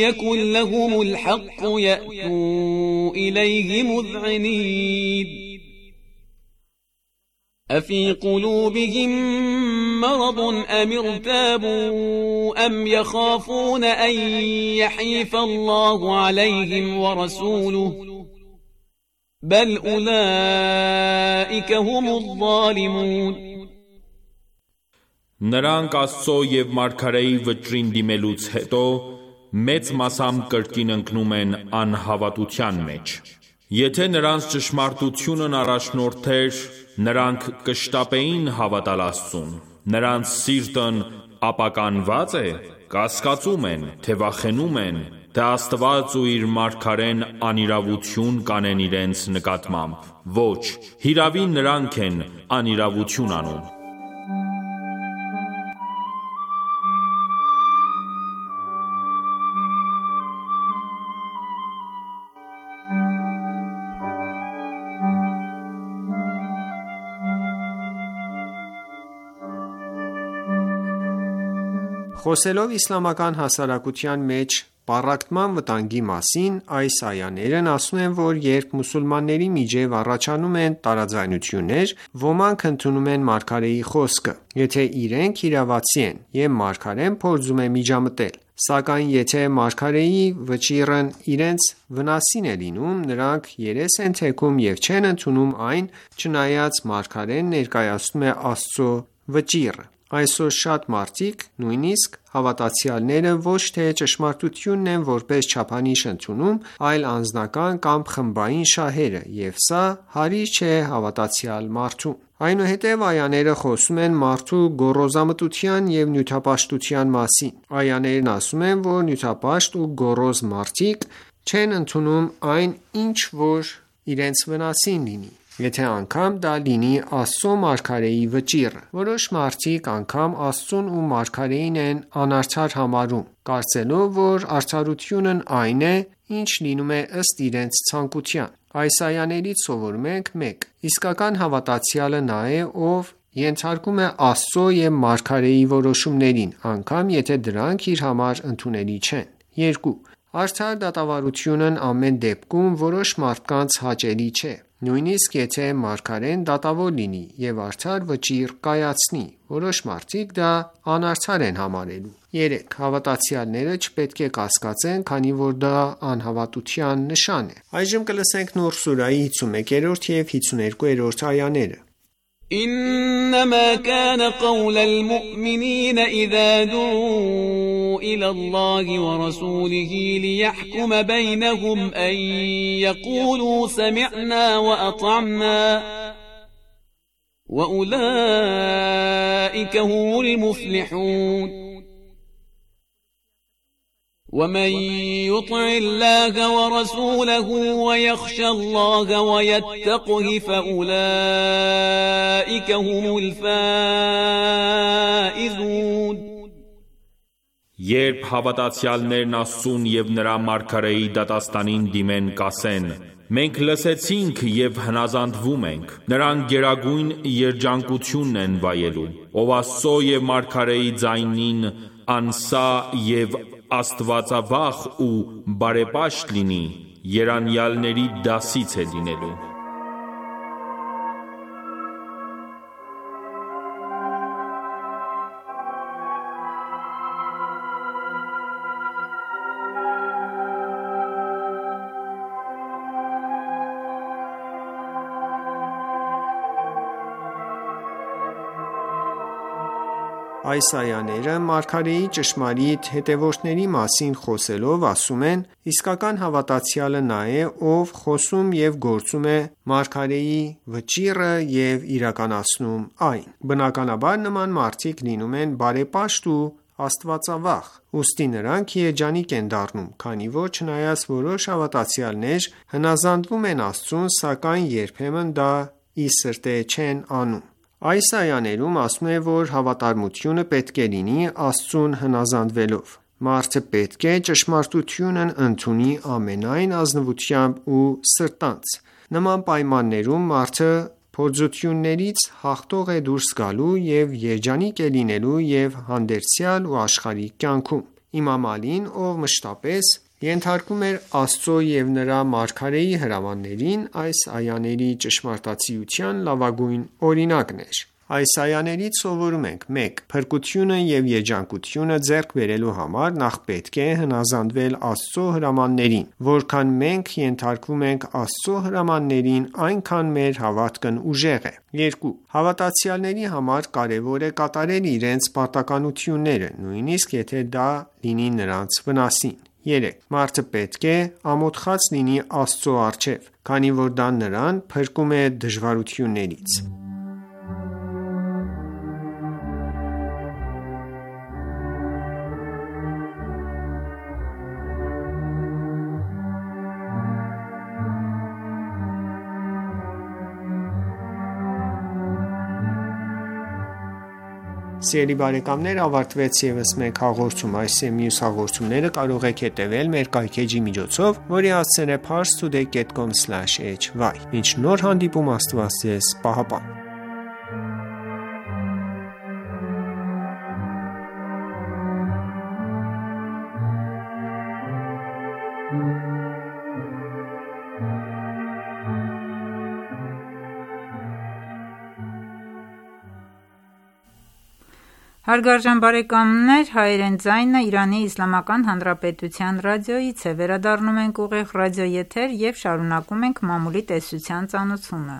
يكن لهم الحق يأتوا إليه مذعنين أفي قلوبهم مرض أم ارتابوا أم يخافون أن يحيف الله عليهم ورسوله بل أولئك هم الظالمون Նրանք Աստծո և Մարգարեի վճռին դիմելուց հետո մեծ մասամբ կրկին ընկնում են անհավատության մեջ։ Եթե նրանց ճշմարտությունն առաջնորդեր, նրանք կշտապեին հավատալ Աստծուն։ Նրանց սիրտն ապականված է, կասկածում են, թե վախենում են, թե Աստված ու իր մարգարեն անիրավություն կանեն իրենց նկատմամբ: Ոչ, հիրավի նրանք են անիրավություն անում: Խոսելով իսլամական հասարակության մեջ պառակտման վտանգի մասին, այս այաներն ասում են, որ երբ մուսուլմանների միջև առաջանում են տարաձայնություններ, ոմանք ընդունում են մարգարեի խոսքը, եթե իրենք իրավացի են, և մարգարեն փորձում է միջամտել: Սակայն եթե մարգարեի վճիռն իրենց վնասին է լինում, նրանք երես են թեքում և չեն ընդունում այն, չնայած մարգարեն ներկայացնում է Աստծո վճիռը: Այսօր շատ մարդիկ, նույնիսկ հավատացյալները, ոչ թե ճշմարտությունն են որպես չափանիշ ընդունում, այլ անձնական կամ խմբային շահերը, և սա հարիր չէ հավատացյալ մարդուն: Այնուհետև այաները խոսում են մարդու գոռոզամտության և նյութապաշտության մասին: Այաներն ասում են, որ նյութապաշտ ու գոռոզ մարդիկ չեն ընդունում այն, ինչ որ իրենց վնասին լինի, եթե անգամ դա լինի Աստծո մարգարեի վճիռը: Որոշ մարդիկ անգամ Աստծուն ու մարգարեին են անարդար համարում, կարծելով, որ արդարությունն այն է, ինչ լինում է ըստ իրենց ցանկության: Այս այաներից սովորում ենք. մեկ. Իսկական հավատացյալը նա է, ով ենթարկվում է Աստծո և մարգարեի որոշումներին, անգամ եթե դրանք իր համար ընդունելի չեն: երկու. Արդար դատավարությունն ամեն դեպքում որոշ մարդկանց հաճելի չէ, նույնիսկ եթե մարգարեն դատավոր լինի և արդար վճիռ կայացնի, որոշ մարդիկ դա անարդար են համարելու: երեք. Հավատացյալները չպետք է կասկածեն, քանի որ դա անհավատության նշան է: Նուր սուրահի հիսունմեկերորդ և հիսուներկուերորդ այաներ إنما كان قول المؤمنين إذا دعوا إلى الله ورسوله ليحكم بينهم أن يقولوا سمعنا وأطعنا وأولئك هم المفلحون ومن يطع الله ورسوله ويخشى الله ويتقه فأولئك هم الفائزون Երբ հավատացյալներն Աստծուն և նրա մարգարեի դատաստանին դիմեն, կասեն. Մենք լսեցինք և հնազանդվում ենք: Նրանք գերագույն երջանկությունն են վայելում: Ով Աստծո և մարգարեի ձայնին անսա և աստվածավախ ու բարեպաշտ լինի, երանյալների դասից է լինելու: Այս այաները մարգարեի ճշմարիտ հետևորդների մասին խոսելով ասում են. Իսկական հավատացյալը նա է, ով խոսում և գործում է մարգարեի վճիռը և իրականացնում այն: Բնականաբար նման մարդիկ լինում են բարեպաշտ ու աստվածավախ, ուստի նրանք երջանիկ են դառնում, քանի որ չնայած որոշ հավատացյալներ հնազանդվում են Աստծուն, սակայն երբեմն դա ի սրտե չեն անում: Այս այաներում ասվում է, որ հավատարմությունը պետք է լինի Աստծուն հնազանդվելով: Մարդը պետք է ճշմարտությունն ընդունի ամենայն ազնվությամբ ու սրտանց: Նման պայմաններում մարդը փորձություններից հաղթող է դուրս գալու և երջանիկ է լինելու և հանդերձյալ ու աշխարհիկ կյանքում: Իմամ Ալին, ով մշտապես ենթարկվում էր Աստծո և նրա մարգարեի հրամաններին, այս այաների ճշմարտացիության լավագույն օրինակն էր: Այս այաներից սովորում ենք. մեկ. Փրկությունը և երջանկությունը ձեռք բերելու համար նախ պետք է հնազանդվել Աստծո հրամաններին: Որքան մենք ենթարկվում ենք Աստծո հրամաններին, այնքան մեր հավատքն ուժեղ է: երկու. Հավատացյալների համար կարևոր է կատարել իրենց պարտականությունները, նույնիսկ եթե դա լինի նրանց վնասին: երեք. Մարդը պետք է ամոթխած լինի Աստծո առջև, քանի որ դա նրան փրկում է դժվարություններից: Սիրելի բարեկամներ, ավարտվեց ևս մեկ հաղորդում։ Այս եւ մյուս հաղորդումները կարող եք հետևել մեր կայքէջի միջոցով, որի հասցեն է parse today dot com slash h y։ Մինչ նոր հանդիպում, Աստված ձեզ պահապան։ Հարգարժան բարեկամներ, հայերեն ձայնը Իրանի Իսլամական Հանրապետության ռադիոյից է, վերադառնում ենք ուղիղ ռադիոեթեր և շարունակում ենք մամուլի տեսության ծանոթությունը։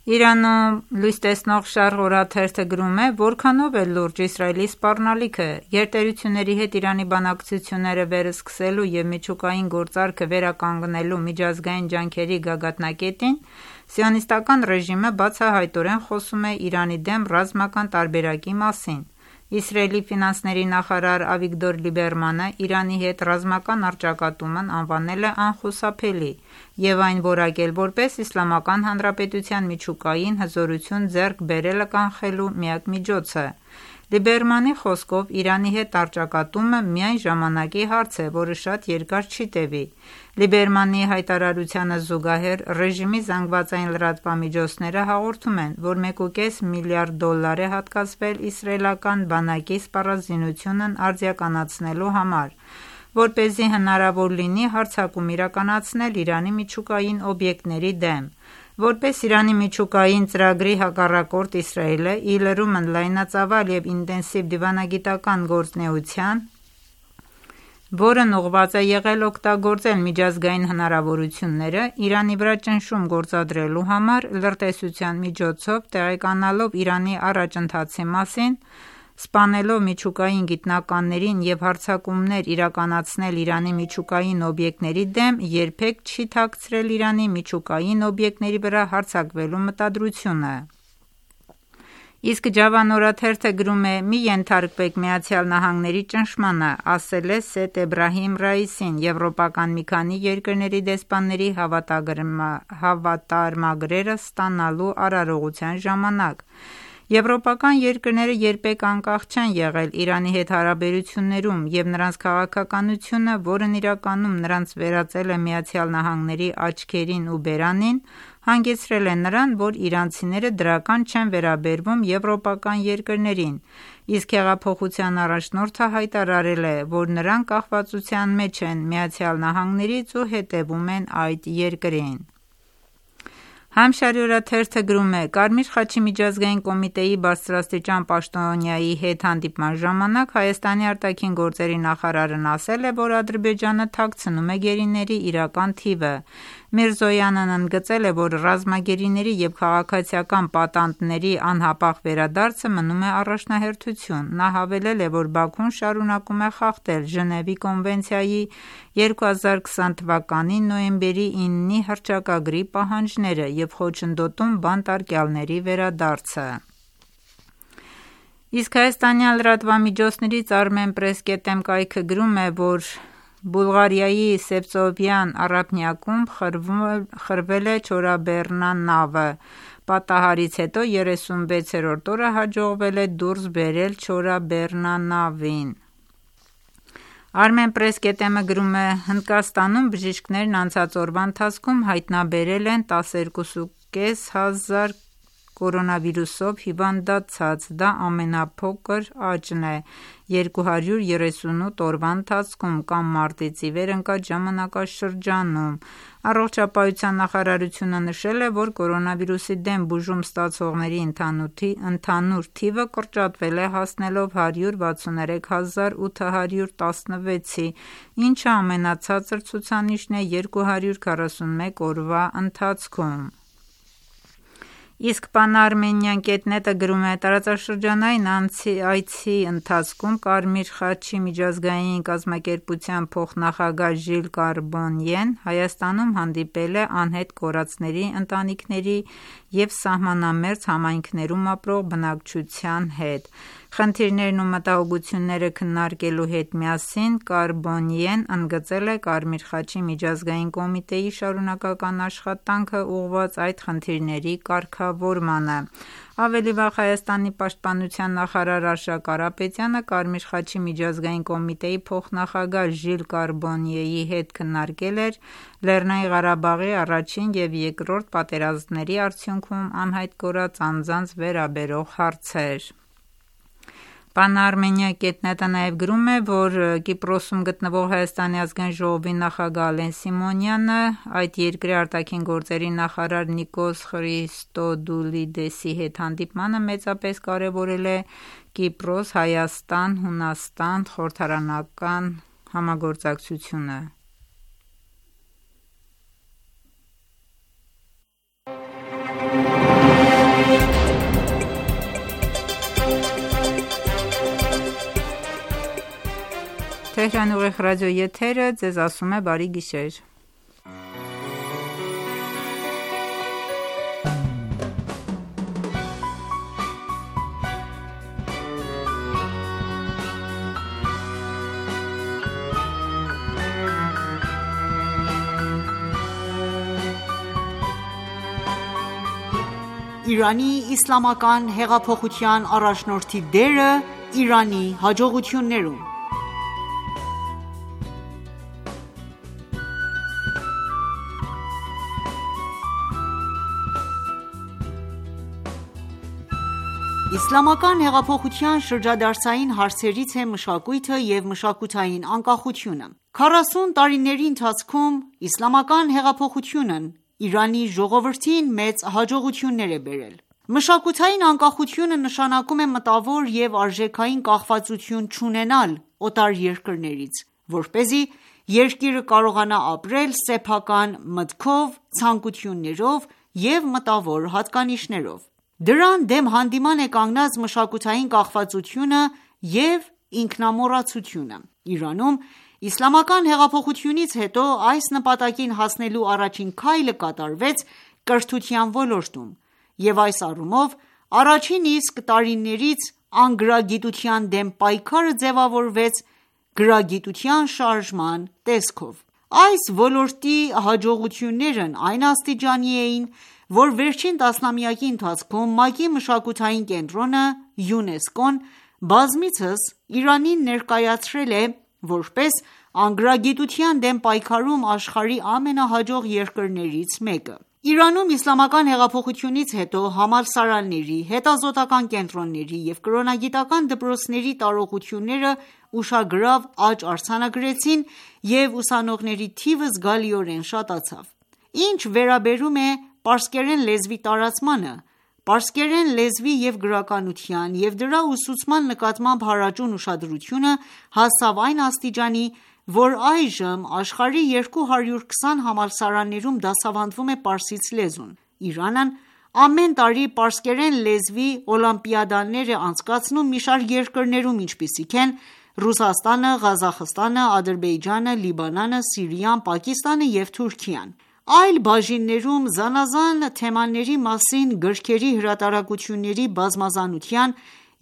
Իրանում լույս տեսնող Շարղ օրաթերթը գրում է, որքանով է լուրջ Իսրայելի սպառնալիքը, գերտերությունների հետ Իրանի բանակցությունները վերսկսելու և միջուկային գործարքը վերականգնելու միջազգային ջանքերի գագաթնակետին, սիոնիստական ռեժիմը բացահայտորեն խոսում է Իրանի դեմ ռազմական տարբերակի մասին։ Իսրայելի ֆինանսների նախարար Ավիգդոր Լիբերմանը Իրանի հետ ռազմական առճակատումն անվանել է անխուսափելի և այն որակել որպես Իսլամական Հանրապետության միջուկային հզորություն ձեռք բերելը կանխելու միակ միջոցը։ Լիբերմանի խոսքով Իրանի հետ առճակատումը միայն ժամանակի հարց է, որը շատ երկար չի տևի։ Լիբերմանի հայտարարությանը զուգահեռ ռեժիմի զանգվածային լրատվամիջոցները հաղորդում են, որ մեկ ու կես միլիարդ դոլար է հատկացվել իսրայելական բանակի սպառազինությունն արդիականացնելու համար, որպեսզի հնարավոր լինի հարձակում իրականացնել Իրանի միջուկային օբյեկտների դեմ։ Որպես Իրանի միջուկային ծրագրի հակառակորդ Իսրայելը ի լրումն լայնածավալ և ինտենսիվ դիվանագիտական գործունեության, որն ուղղված է եղել օգտագործել միջազգային հնարավորությունները Իրանի վրա ճնշում գործադրելու համար, լրտեսության միջոցով տեղեկանալով Իրանի առաջընթացի մասին, սպանելով միջուկային գիտնականներին և հարձակումներ իրականացնել Իրանի միջուկային օբյեկտների դեմ, երբեք չի թաքցրել Իրանի միջուկային օբյեկտների վրա հարձակվելու մտադրությունը։ Իսկ Ջավան օրաթերթը գրում է. «Մի ենթարկվեք Միացյալ Նահանգների ճնշմանը», ասել է Սեյեդ Էբրահիմ Ռայիսին, եվրոպական մի քանի երկրների դեսպանների հավատարմագրերը ստանալու արարողության ժամանակ։ Եվրոպական երկրները երբեք անկախ չեն եղել Իրանի հետ հարաբերություններում և նրանց քաղաքականությունը, որն իրականում նրանց վերածել է Միացյալ Նահանգների աչքերին ու բերանին, հանգեցրել է նրան, որ իրանցիները դրական չեն վերաբերվում եվրոպական երկրներին, իսկ հեղափոխության առաջնորդը հայտարարել է, որ նրանք կախվածության մեջ են Միացյալ Նահանգներից ու հետևում են այդ երկրին։ Համշարի օրաթերթը գրում է. «Կարմիր խաչի միջազգային կոմիտեի բարձրաստիճան պաշտոնյայի հետ հանդիպման ժամանակ Հայաստանի արտաքին գործերի նախարարն ասել է, որ Ադրբեջանը թաքցնում է գերիների իրական թիվը։ Միրզոյանն ընդգծել է, որ ռազմագերիների և քաղաքացիական պատանդների անհապաղ վերադարձը մնում է առաջնահերթություն։ Նա հավելել է, որ Բաքուն շարունակում է խախտել Ժնևի կոնվենցիայի երկու հազար քսան թվականի նոյեմբերի իննի հռչակագրի պահանջները և խոչընդոտում բանտարկյալների վերադարձը»։ Իսկ հայաստանյան լրատվամիջոցներից Armenpress.am կայքը գրում է, որ Բուլղարիայի Սևծովյան առափնյակում խրվել է Չորաբեռնա նավը։ Պատահարից հետո երեսունվեցերորդ օրը հաջողվել է դուրս բերել Չորաբեռնա նավին։ Armenpress.am-ը գրում է. «Հնդկաստանում բժիշկներն անցած օրվա ընթացքում հայտնաբերել են տասներկու կես հազար կորոնավիրուսով հիվանդացած, դա ամենափոքր աճն է երկու հարյուր երեսունութ օրվա ընթացքում կամ մարտից ի վեր ընկած ժամանակաշրջանում»։ Առողջապահության նախարարությունը նշել է, որ կորոնավիրուսի դեմ բուժում ստացողների ընդհանուր թիվը կրճատվել է հասնելով հարյուր վաթսուներեք հազար ութ հարյուր տասնվեցի, ինչը ամենացածր ցուցանիշն է երկու հարյուր քառասունմեկ օրվա ընթացքում։ Իսկ Pan-Armenian.net-ը գրում է. «Տարածաշրջանային այցի ընթացքում Կարմիր խաչի միջազգային կազմակերպության փոխնախագահ Ժիլ Կարբոնյեն Հայաստանում հանդիպել է անհետ կորածների ընտանիքների և սահմանամերձ համայնքներում ապրող բնակչության հետ։ Խնդիրներն ու մտահոգությունները քննարկելու հետ միասին Կարբոնիեն ընդգծել է Կարմիր խաչի միջազգային կոմիտեի շարունակական աշխատանքը ուղղված այդ խնդիրների կարգավորմանը։ Ավելի վաղ Հայաստանի պաշտպանության նախարար Արշակ Կարապետյանը Կարմիր խաչի միջազգային կոմիտեի փոխնախագահ Ժիլ Կարբոնիեի հետ քննարկել էր Լեռնային Ղարաբաղի առաջին և երկրորդ պատերազմների արդյունքում անհայտ կորած անձանց վերաբերող հարցեր։ Բանարմենիա.net-ը նաև գրում է, որ Կիպրոսում գտնվող Հայաստանի ազգային ժողովի նախագահ Ալեն Սիմոնյանը այդ երկրի արտաքին գործերի նախարար Նիկոս Խրիստոդուլիդեսի հետ հանդիպմանը մեծապես կարևորել է Կիպրոս-Հայաստան-Հունաստան խորհրդարանական համագործակցությունը։ Թեհրան ուղիղ ռադիո եթերը ձեզ ասում է բարի գիշեր։ Իրանի իսլամական հեղափոխության առաջնորդի դերը Իրանի հաջողություններում։ Իսլամական հեղափոխության շրջադարձային հարցերից է մշակույթը և մշակութային անկախությունը։ քառասուն տարիների ընթացքում իսլամական հեղափոխությունն Իրանի ժողովրդին մեծ հաջողություններ է բերել։ Մշակութային անկախությունը նշանակում է մտավոր և արժեքային կախվածություն չունենալ օտար երկրներից, որպեսզի երկիրը կարողանա ապրել սեփական մտքով, ցանկություններով և մտավոր հատկանիշներով։ Դրան դեմ հանդիման է կանգնած մշակութային կախվածությունը և ինքնամոռացությունը։ Իրանում իսլամական հեղափոխությունից հետո այս նպատակին հասնելու առաջին քայլը կատարվեց կրթության ոլորտում, և այս առումով առաջին իսկ տարիներից անգրագիտության դեմ պայքարը ձևավորվեց գրագիտության շարժման տեսքով։ Այս ոլորտի հաջողություններն այն աստիճանի էին, որ վերջին տասնամյակի ընթացքում ՄԱԿ-ի մշակութային կենտրոնը ՅՈՒՆԵՍԿՕ-ն բազմիցս Իրանին ներկայացրել է որպես անգրագիտության դեմ պայքարում աշխարհի ամենահաջող երկրներից մեկը։ Իրանում իսլամական հեղափոխությունից հետո համալսարանների, հետազոտական կենտրոնների և կրոնագիտական դպրոցների տարողությունները ուշագրավ աճ արձանագրեցին և ուսանողների թիվը զգալիորեն շատացավ։ Ինչ վերաբերում է պարսկերեն լեզվի տարածմանը, պարսկերեն լեզվի և գրականության և դրա ուսուցման նկատմամբ հարաճուն ուշադրությունը հասավ այն աստիճանի, որ այժմ աշխարհի երկու հարյուր քսան համալսարաններում դասավանդվում է պարսից լեզուն։ Իրանն ամեն տարի պարսկերեն լեզվի օլիմպիադաներ է անցկացնում մի շարք երկրներում, ինչպիսիք են Ռուսաստանը, Ղազախստանը, Ադրբեջանը, Լիբանանը, Սիրիան, Պակիստանը և Թուրքիան։ Այլ բաժիններում զանազան թեմաների մասին գրքերի հրատարակությունների բազմազանության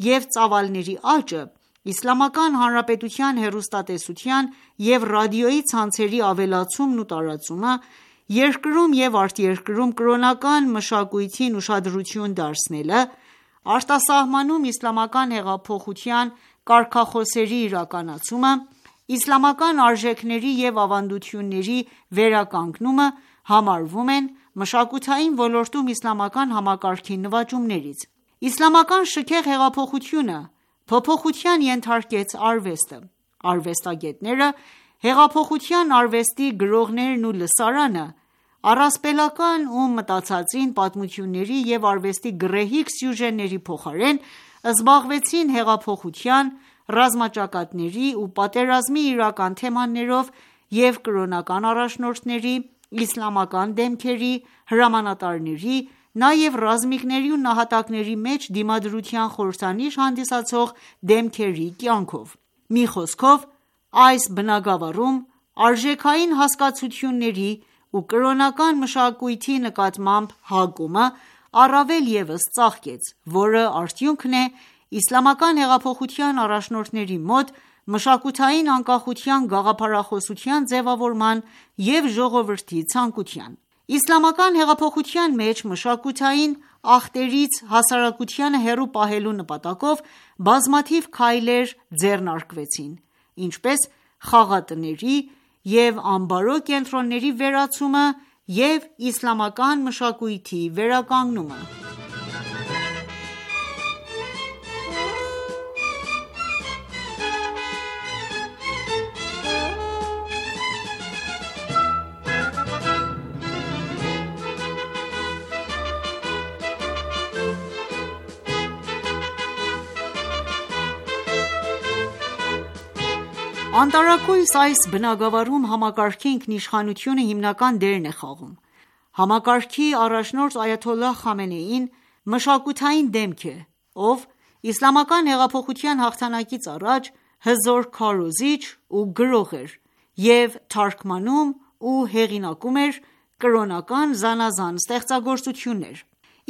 և ծավալների աճը, Իսլամական Հանրապետության հեռուստատեսության և ռադիոյի ցանցերի ավելացումն ու տարածումը, երկրում և արտերկրում կրոնական մշակույթին ուշադրություն դարձնելը, արտասահմանում իսլամական հեղափոխության կարգախոսերի իրականացումը, իսլամական արժեքների և ավանդությունների վերականգնումը համարվում են մշակութային ոլորտում իսլամական համակարգի նվաճումներից։ Իսլամական շքեղ հեղափոխությունը փոփոխության ենթարկեց արվեստը։ Արվեստագետները հեղափոխության արվեստի գրողներն ու լսարանը առասպելական ու մտածածին պատմությունների և արվեստի գռեհիկ սյուժեների փոխարեն զբաղվեցին հեղափոխության, ռազմաճակատների ու պատերազմի իրական թեմաներով և կրոնական առաջնորդների, իսլամական դեմքերի, հրամանատարների, նաև ռազմիկների ու նահատակների մեջ դիմադրության խորհրդանիշ հանդիսացող դեմքերի կյանքով։ Մի խոսքով, այս բնագավառում արժեքային հասկացությունների ու կրոնական մշակույթի նկատմամբ հակումը առավել ևս ծաղկեց, որը արդյունքն է իսլամական հեղափոխության առաջնորդների մոտ մշակութային անկախության գաղափարախոսության ձևավորման և ժողովրդի ցանկության: Իսլամական հեղափոխության մեջ մշակութային ախտերից հասարակությանը հեռու պահելու նպատակով բազմաթիվ քայլեր ձեռնարկվեցին, ինչպես խաղատների և ամբարո կենտրոնների վերացումը և իսլամական մշակույթի վերականգնումը: Անտարակույս այս բնագավառում համակարգի ինքնիշխանությունը հիմնական դերն է խաղում: Համակարգի առաջնորդ այաթոլլահ Խամենեին մշակութային դեմք է, ով իսլամական հեղափոխության հաղթանակից առաջ հզոր քարոզիչ ու գրող էր և թարգմանում ու հեղինակում էր կրոնական զանազան ստեղծագործություններ: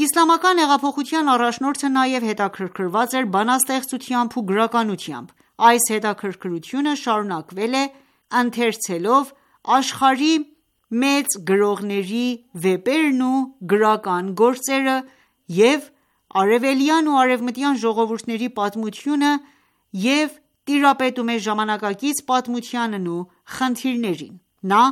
Իսլամական հեղափոխության առաջնորդը նաև հետաքրքրված էր բանաստեղծությամբ ու գրականությամբ: Այս հետաքրքրությունը շարունակվել է ընթերցելով աշխարհի մեծ գրողների վեպերն ու գրական գործերը և արևելյան ու արևմտյան ժողովուրդների պատմությունը և տիրապետում է ժամանակակից պատմությանն ու խնդիրներին: Նա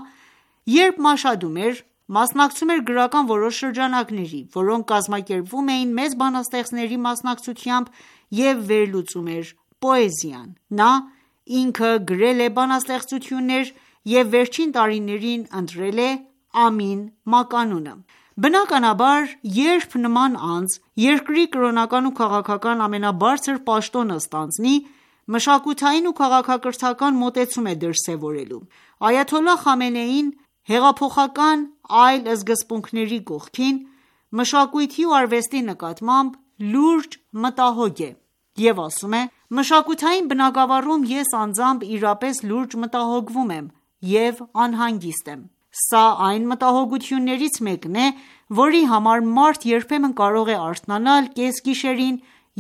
երբ մաշհադում էր, մասնակցում էր գրական որոշ շրջանակների, որոնք կազմակերպվում էին մեծ բանաստեղծների մասնակցությամբ և վերլուծում էր պոեզիան: Նա ինքը գրել է բանաստեղծություններ և վերջին տարիներին ընտրել է Ամին մականունը: Բնականաբար, երբ նման անձ երկրի կրոնական ու քաղաքական ամենաբարձր պաշտոնը ստանձնի, մշակութային ու քաղաքակրթական մոտեցում է դրսևորելու: Այաթոլլահ Խամենեին հեղափոխական այլ սկզբունքների կողքին, մշակույթի ու արվեստի նկատմամբ լուրջ մտահոգ է և ասում է. «Մշակութային բնագավառում ես անձամբ իրապես լուրջ մտահոգվում եմ և անհանգիստ եմ: Սա այն մտահոգություններից մեկն է, որի համար մարդ երբեմն կարող է արթնանալ կեսգիշերին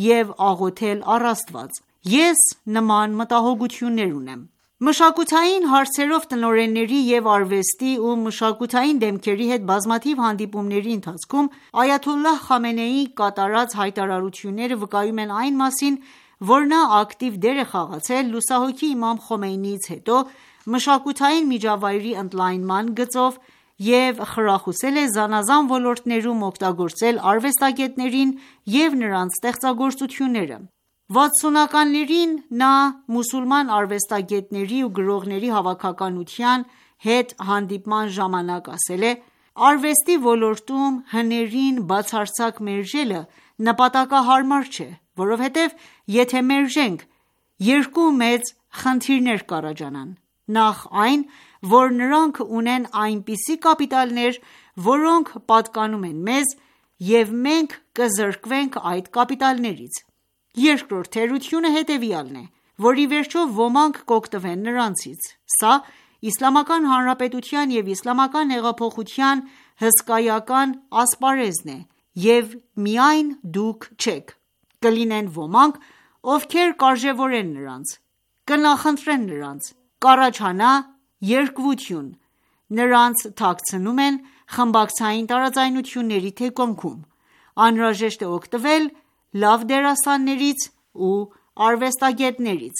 և աղոթել առ Աստված: Ես նման մտահոգություններ ունեմ»: Մշակութային հարցերով տնօրենների և արվեստի ու մշակութային դեմքերի հետ բազմաթիվ հանդիպումների ընթացքում այաթոլլահ Խամենեիի կատարած հայտարարությունները վկայում են այն մասին, որ նա ակտիվ դեր է խաղացել լուսահոգի Իմամ Խոմեյնիից հետո մշակութային միջավայրի ընդլայնման գծով և խրախուսել է զանազան ոլորտներում օգտագործել արվեստագետներին և նրանց ստեղծագործությունները: վաթսունականներին նա մուսուլման արվեստագետների ու գրողների հավաքականության հետ հանդիպման ժամանակ ասել է. «Արվեստի ոլորտում հներին բացարձակ մերժելը նպատակահարմար չէ, որովհետև եթե մերժենք, երկու մեծ խնդիրներ կառաջանան: Նախ այն, որ նրանք ունեն այնպիսի կապիտալներ, որոնք պատկանում են մեզ և մենք կզրկվենք այդ կապիտալներից: Երկրորդ թերությունը հետևյալն է, որ ի վերջո ոմանք կօգտվեն նրանցից: Սա Իսլամական Հանրապետության և իսլամական հեղափոխության հսկայական ասպարեզն է և միայն դուք չեք: Կլինեն ոմանք, ովքեր կարժևորեն նրանց, կնախընտրեն նրանց, կառաջանա երկվություն, նրանց թաքցնում են խմբակցային տարաձայնությունների թեկունքում: Անհրաժեշտ է օգտվել լավ դերասաններից ու արվեստագետներից»: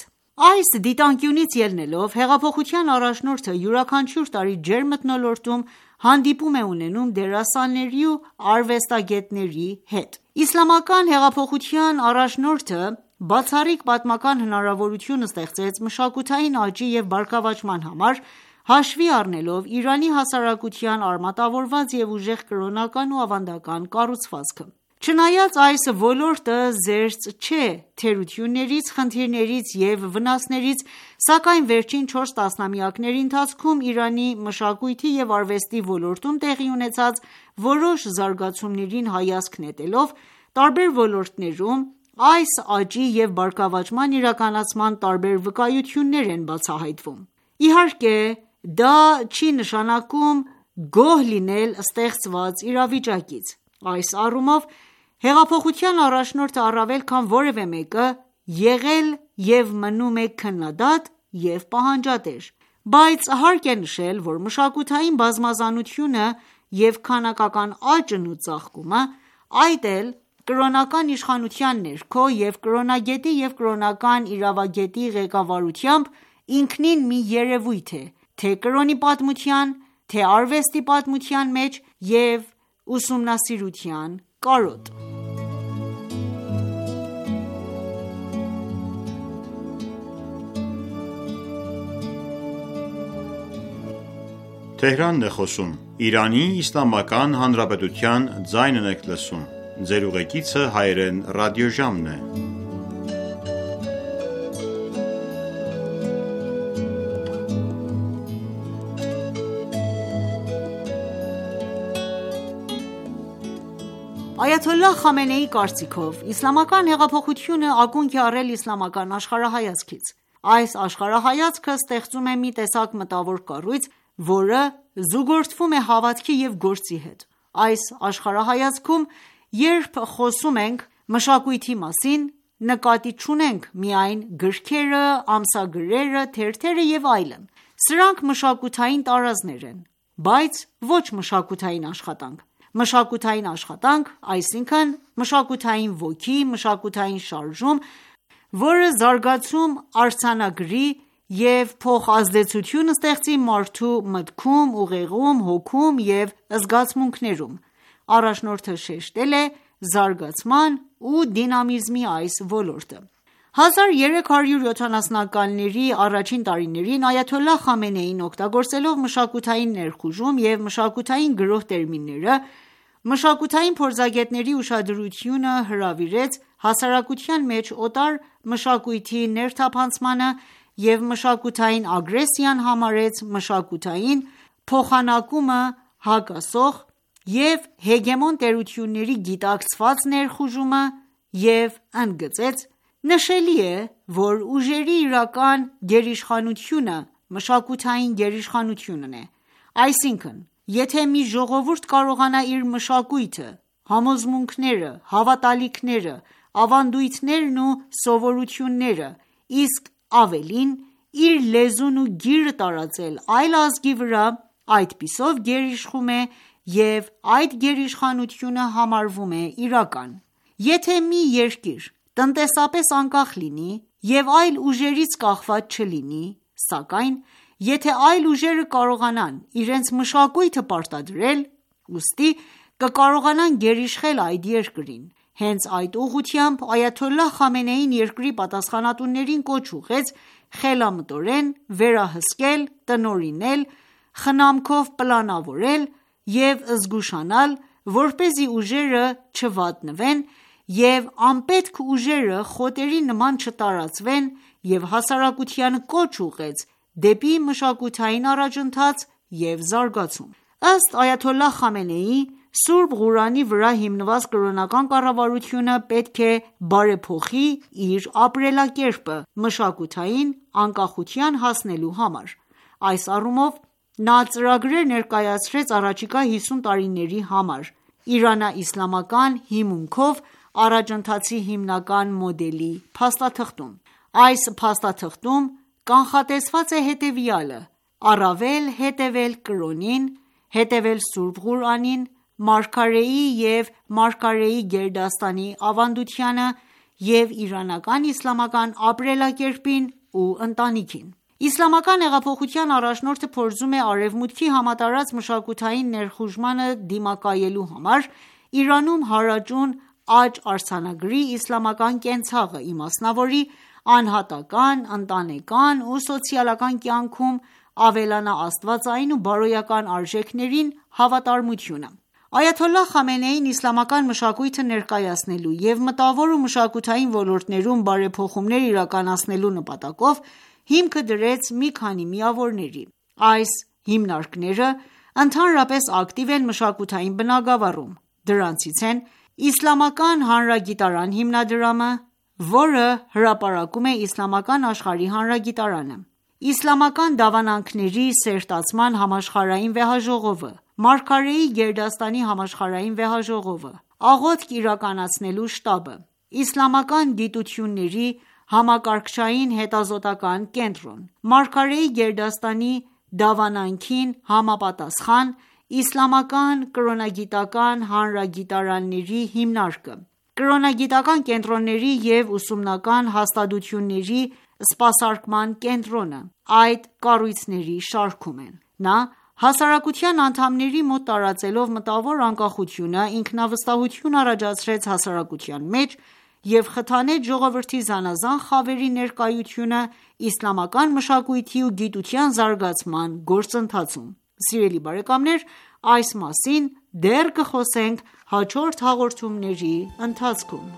Այս դիտանկյունից ելնելով, հեղափոխության առաջնորդը յուրաքանչյուր տարի ջերմ մթնոլորտում հանդիպում է ունենում դերասանների ու արվեստագետների հետ: Իսլամական հեղափոխության առաջնորդը բացառիկ պատմական հնարավորություն ստեղծեց մշակութային աճի և բարգավաճման համար, հաշվի առնելով Իրանի հասարակության արմատավորված և ուժեղ կրոնական ու ավանդական կառուցվածքը: Չնայած այս ոլորտը զերծ չէ թերություններից, խնդիրներից և վնասներից, սակայն վերջին չորս տասնամյակների ընթացքում Իրանի մշակույթի և արվեստի ոլորտում տեղի ունեցած որոշ զարգացումներին հայացք նետելով, տարբեր ոլորտներում այս աճի և բարգավաճման իրականացման տարբեր վկայություններ են բացահայտվում: Իհարկե դա չի նշանակում գոհ լինել ստեղծված իրավիճակից: Այս առումով Հեղափոխության առաջնորդը առավել քան որևէ մեկը եղել և մնում է քննադատ և պահանջատեր: Բայց հարկ է նշել, որ մշակութային բազմազանությունը և քանակական աճն ու ծաղկումը, այդ էլ կրոնական իշխանության ներքո և կրոնագետի և կրոնական իրավագետի ղեկավարությամբ, ինքնին մի երևույթ է թե՛ կրոնի պատմության, թե՛ արվեստի պատմության մեջ և ուսումնասիրության կարոտ: Այաթոլլահ Խամենեիի կարծիքով, իսլամական հեղափոխությունը ակունք է առել իսլամական աշխարհայացքից: Այս աշխարհայացքը ստեղծում է մի տեսակ մտավոր կառույց, որը զուգորդվում է հավատքի և գործի հետ: Այս աշխարհայացքում, երբ խոսում ենք մշակույթի մասին, նկատի չունենք միայն գրքերը, ամսագրերը, թերթերը և այլն: Սրանք մշակութային տարազներ են, բայց ոչ մշակութային աշխատանք: Մշակութային աշխատանք, այսինքն մշակութային ոգի, մշակութային շարժում, որը զարգացում արձանագրի և փոխազդեցություն ստեղծի մարդու մտքում, ուղեղում, հոգում և զգացմունքներում: Առաջնորդը շեշտել է զարգացման ու դինամիզմի այս ոլորտը: հազար երեք հարյուր յոթանասունականների առաջին տարիներին այաթոլլահ Խամենեին, օգտագործելով մշակութային ներխուժում և մշակութային գրոհ տերմինները, մշակութային փորձագետների ուշադրությունը հրավիրեց հասարակության մեջ օտար մշակույթի ներթափանցմանը և մշակութային ագրեսիան համարեց մշակութային փոխանակումը հակասող և հեգեմոն տերությունների գիտակցված ներխուժումը և ընդգծեց.«Նշելի է, որ ուժերի իրական գերիշխանությունը մշակութային գերիշխանությունն է: Այսինքն, եթե մի ժողովուրդ կարողանա իր մշակույթը, համոզմունքները, հավատալիքները, ավանդույթներն ու սովորույթները, իսկ ավելին, իր լեզուն ու գիրը տարածել այլ ազգի վրա, այդպիսով գերիշխում է և այդ գերիշխանությունը համարվում է իրական: Եթե մի երկիր տնտեսապես անկախ լինի և այլ ուժերից կախված չլինի, սակայն եթե այլ ուժերը կարողանան իրենց մշակույթը պարտադրել, ուստի կկարողանան գերիշխել այդ երկրին: Հենց այդ ուղղությամբ այաթոլլահ Խամենեին երկրի պատասխանատուներին կոչ ուղղեց խելամտորեն վերահսկել, տնօրինել, խնամքով պլանավորել և զգուշանալ, որպեսզի ուժերը չվատնվեն և անպետք ուժերը խոտերի նման չտարածվեն և հասարակությանը կոչ ուղղեց դեպի մշակութային առաջընթաց և զարգացում: Ըստ այաթոլլահ Խամենեիի, Սուրբ Ղուրանի վրա հիմնված կրոնական կառավարությունը պետք է բարեփոխի իր ապրելակերպը մշակութային անկախության հասնելու համար: Այս առումով նա ծրագրեր ներկայացրեց առաջիկա հիսուն տարիների համար իրանա-իսլամական հիմունքով առաջընթացի հիմնական մոդելի փաստաթղթում: Այս փաստաթղթում կանխատեսված է հետևյալը՝ առավել հետևել կրոնին, հետևել Սուրբ Ղուրանին, Մարգարեի և մարգարեի գերդաստանի ավանդությանը և իրանական իսլամական ապրելակերպին ու ընտանիքին: Իսլամական հեղափոխության առաջնորդը փորձում է արևմուտքի համատարած մշակութային ներխուժմանը դիմակայելու համար, Իրանում հարաճուն աճ արձանագրի իսլամական կենցաղը, իմասնավորի անհատական, ընտանեկան ու սոցիալական կյանքում ավելանա աստվածային ու բարոյական արժեքներին հավատարմությունը: Այաթոլլահ Խամենեին իսլամական մշակույթը ներկայացնելու և մտավոր ու մշակութային ոլորտներում բարեփոխումներ իրականացնելու նպատակով հիմքը դրեց մի քանի միավորների: Այս հիմնարկները ընդհանրապես ակտիվ են մշակութային բնագավառում: Դրանցից են Իսլամական հանրագիտարան հիմնադրամը, որը հրապարակում է Իսլամական աշխարհի հանրագիտարանը, Իսլամական դավանանքների սերտացման համաշխարհային վեհաժողովը, Մարգարեի գերդաստանի համաշխարհային վեհաժողովը, աղոթք իրականացնելու շտաբը, Իսլամական գիտությունների համակարգչային հետազոտական կենտրոն, Մարգարեի գերդաստանի դավանանքին համապատասխան իսլամական կրոնագիտական հանրագիտարանների հիմնարկը, կրոնագիտական կենտրոնների և ուսումնական հաստատությունների սպասարկման կենտրոնը այդ կառույցների շարքում են: Նա հասարակության անդամների մոտ տարածելով մտավոր անկախությունը, ինքնավստահություն առաջացրեց հասարակության մեջ և խթանեց ժողովրդի զանազան խավերի ներկայությունը իսլամական մշակույթի ու գիտության զարգացման գործընթացում: Սիրելի բարեկամներ, այս մասին դեռ կխոսենք հաջորդ հաղորդումների ընթացքում: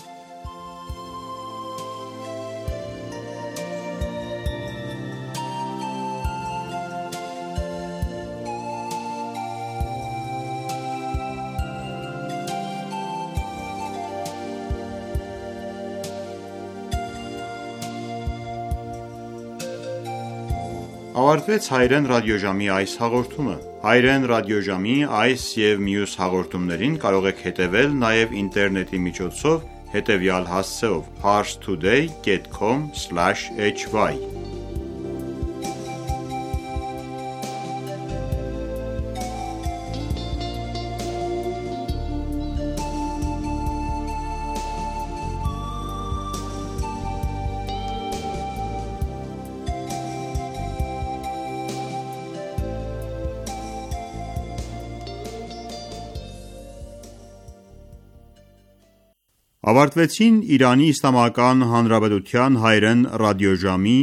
Ավարտվեց Հայերեն ռադիոժամի այս հաղորդումը: Հայերեն ռադիոժամի այս և մյուս հաղորդումներին կարող եք հետևել նաև ինտերնետի միջոցով հետևյալ հասցեով՝ parstoday dot com slash h y Ավարտվեցին Իրանի Իսլամական Հանրապետության հայերեն ռադիոժամի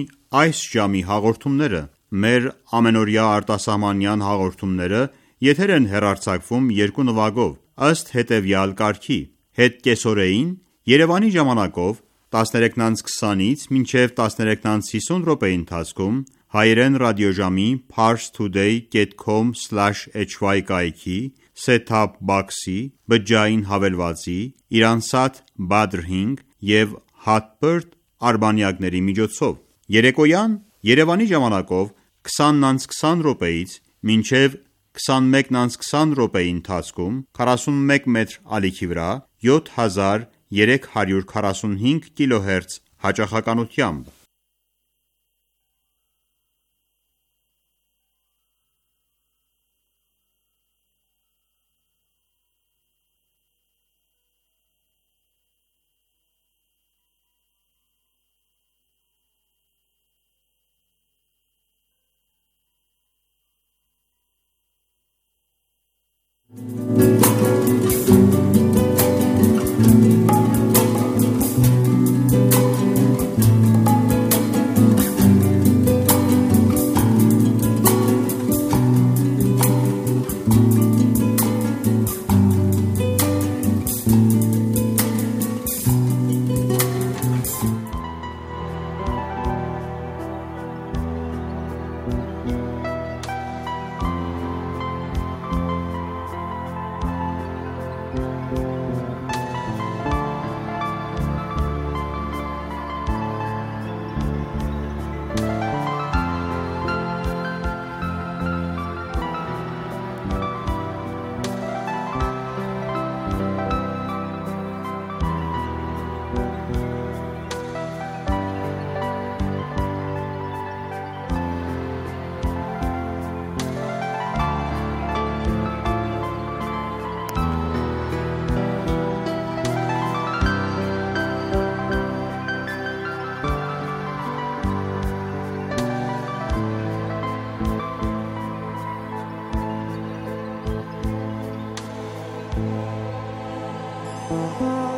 այս ժամի հաղորդումները: Մեր ամենօրյա արտասահմանյան հաղորդումները եթեր են հեռարձակվում երկու նվագով, ըստ հետևյալ կարգի՝ հետ կեսօրեին Երևանի ժամանակով տասներեքից քսանից մինչև տասներեքից հիսուն րոպեի ընթացքում հայերեն ռադիոժամի parstoday dot com slash h y կայքի, set-top box-ի, բջջային հավելվածի, Iransat Badr հինգ և Hotbird արբանյակների միջոցով: Երեկոյան Երևանի ժամանակով քսանից քսան րոպեից մինչև քսանմեկից քսան րոպեի ընթացքում քառասունմեկ մետր ալիքի վրա յոթ հազար երեք հարյուր քառասունհինգ կիլոհերց հաճախականությամբ: Thank you.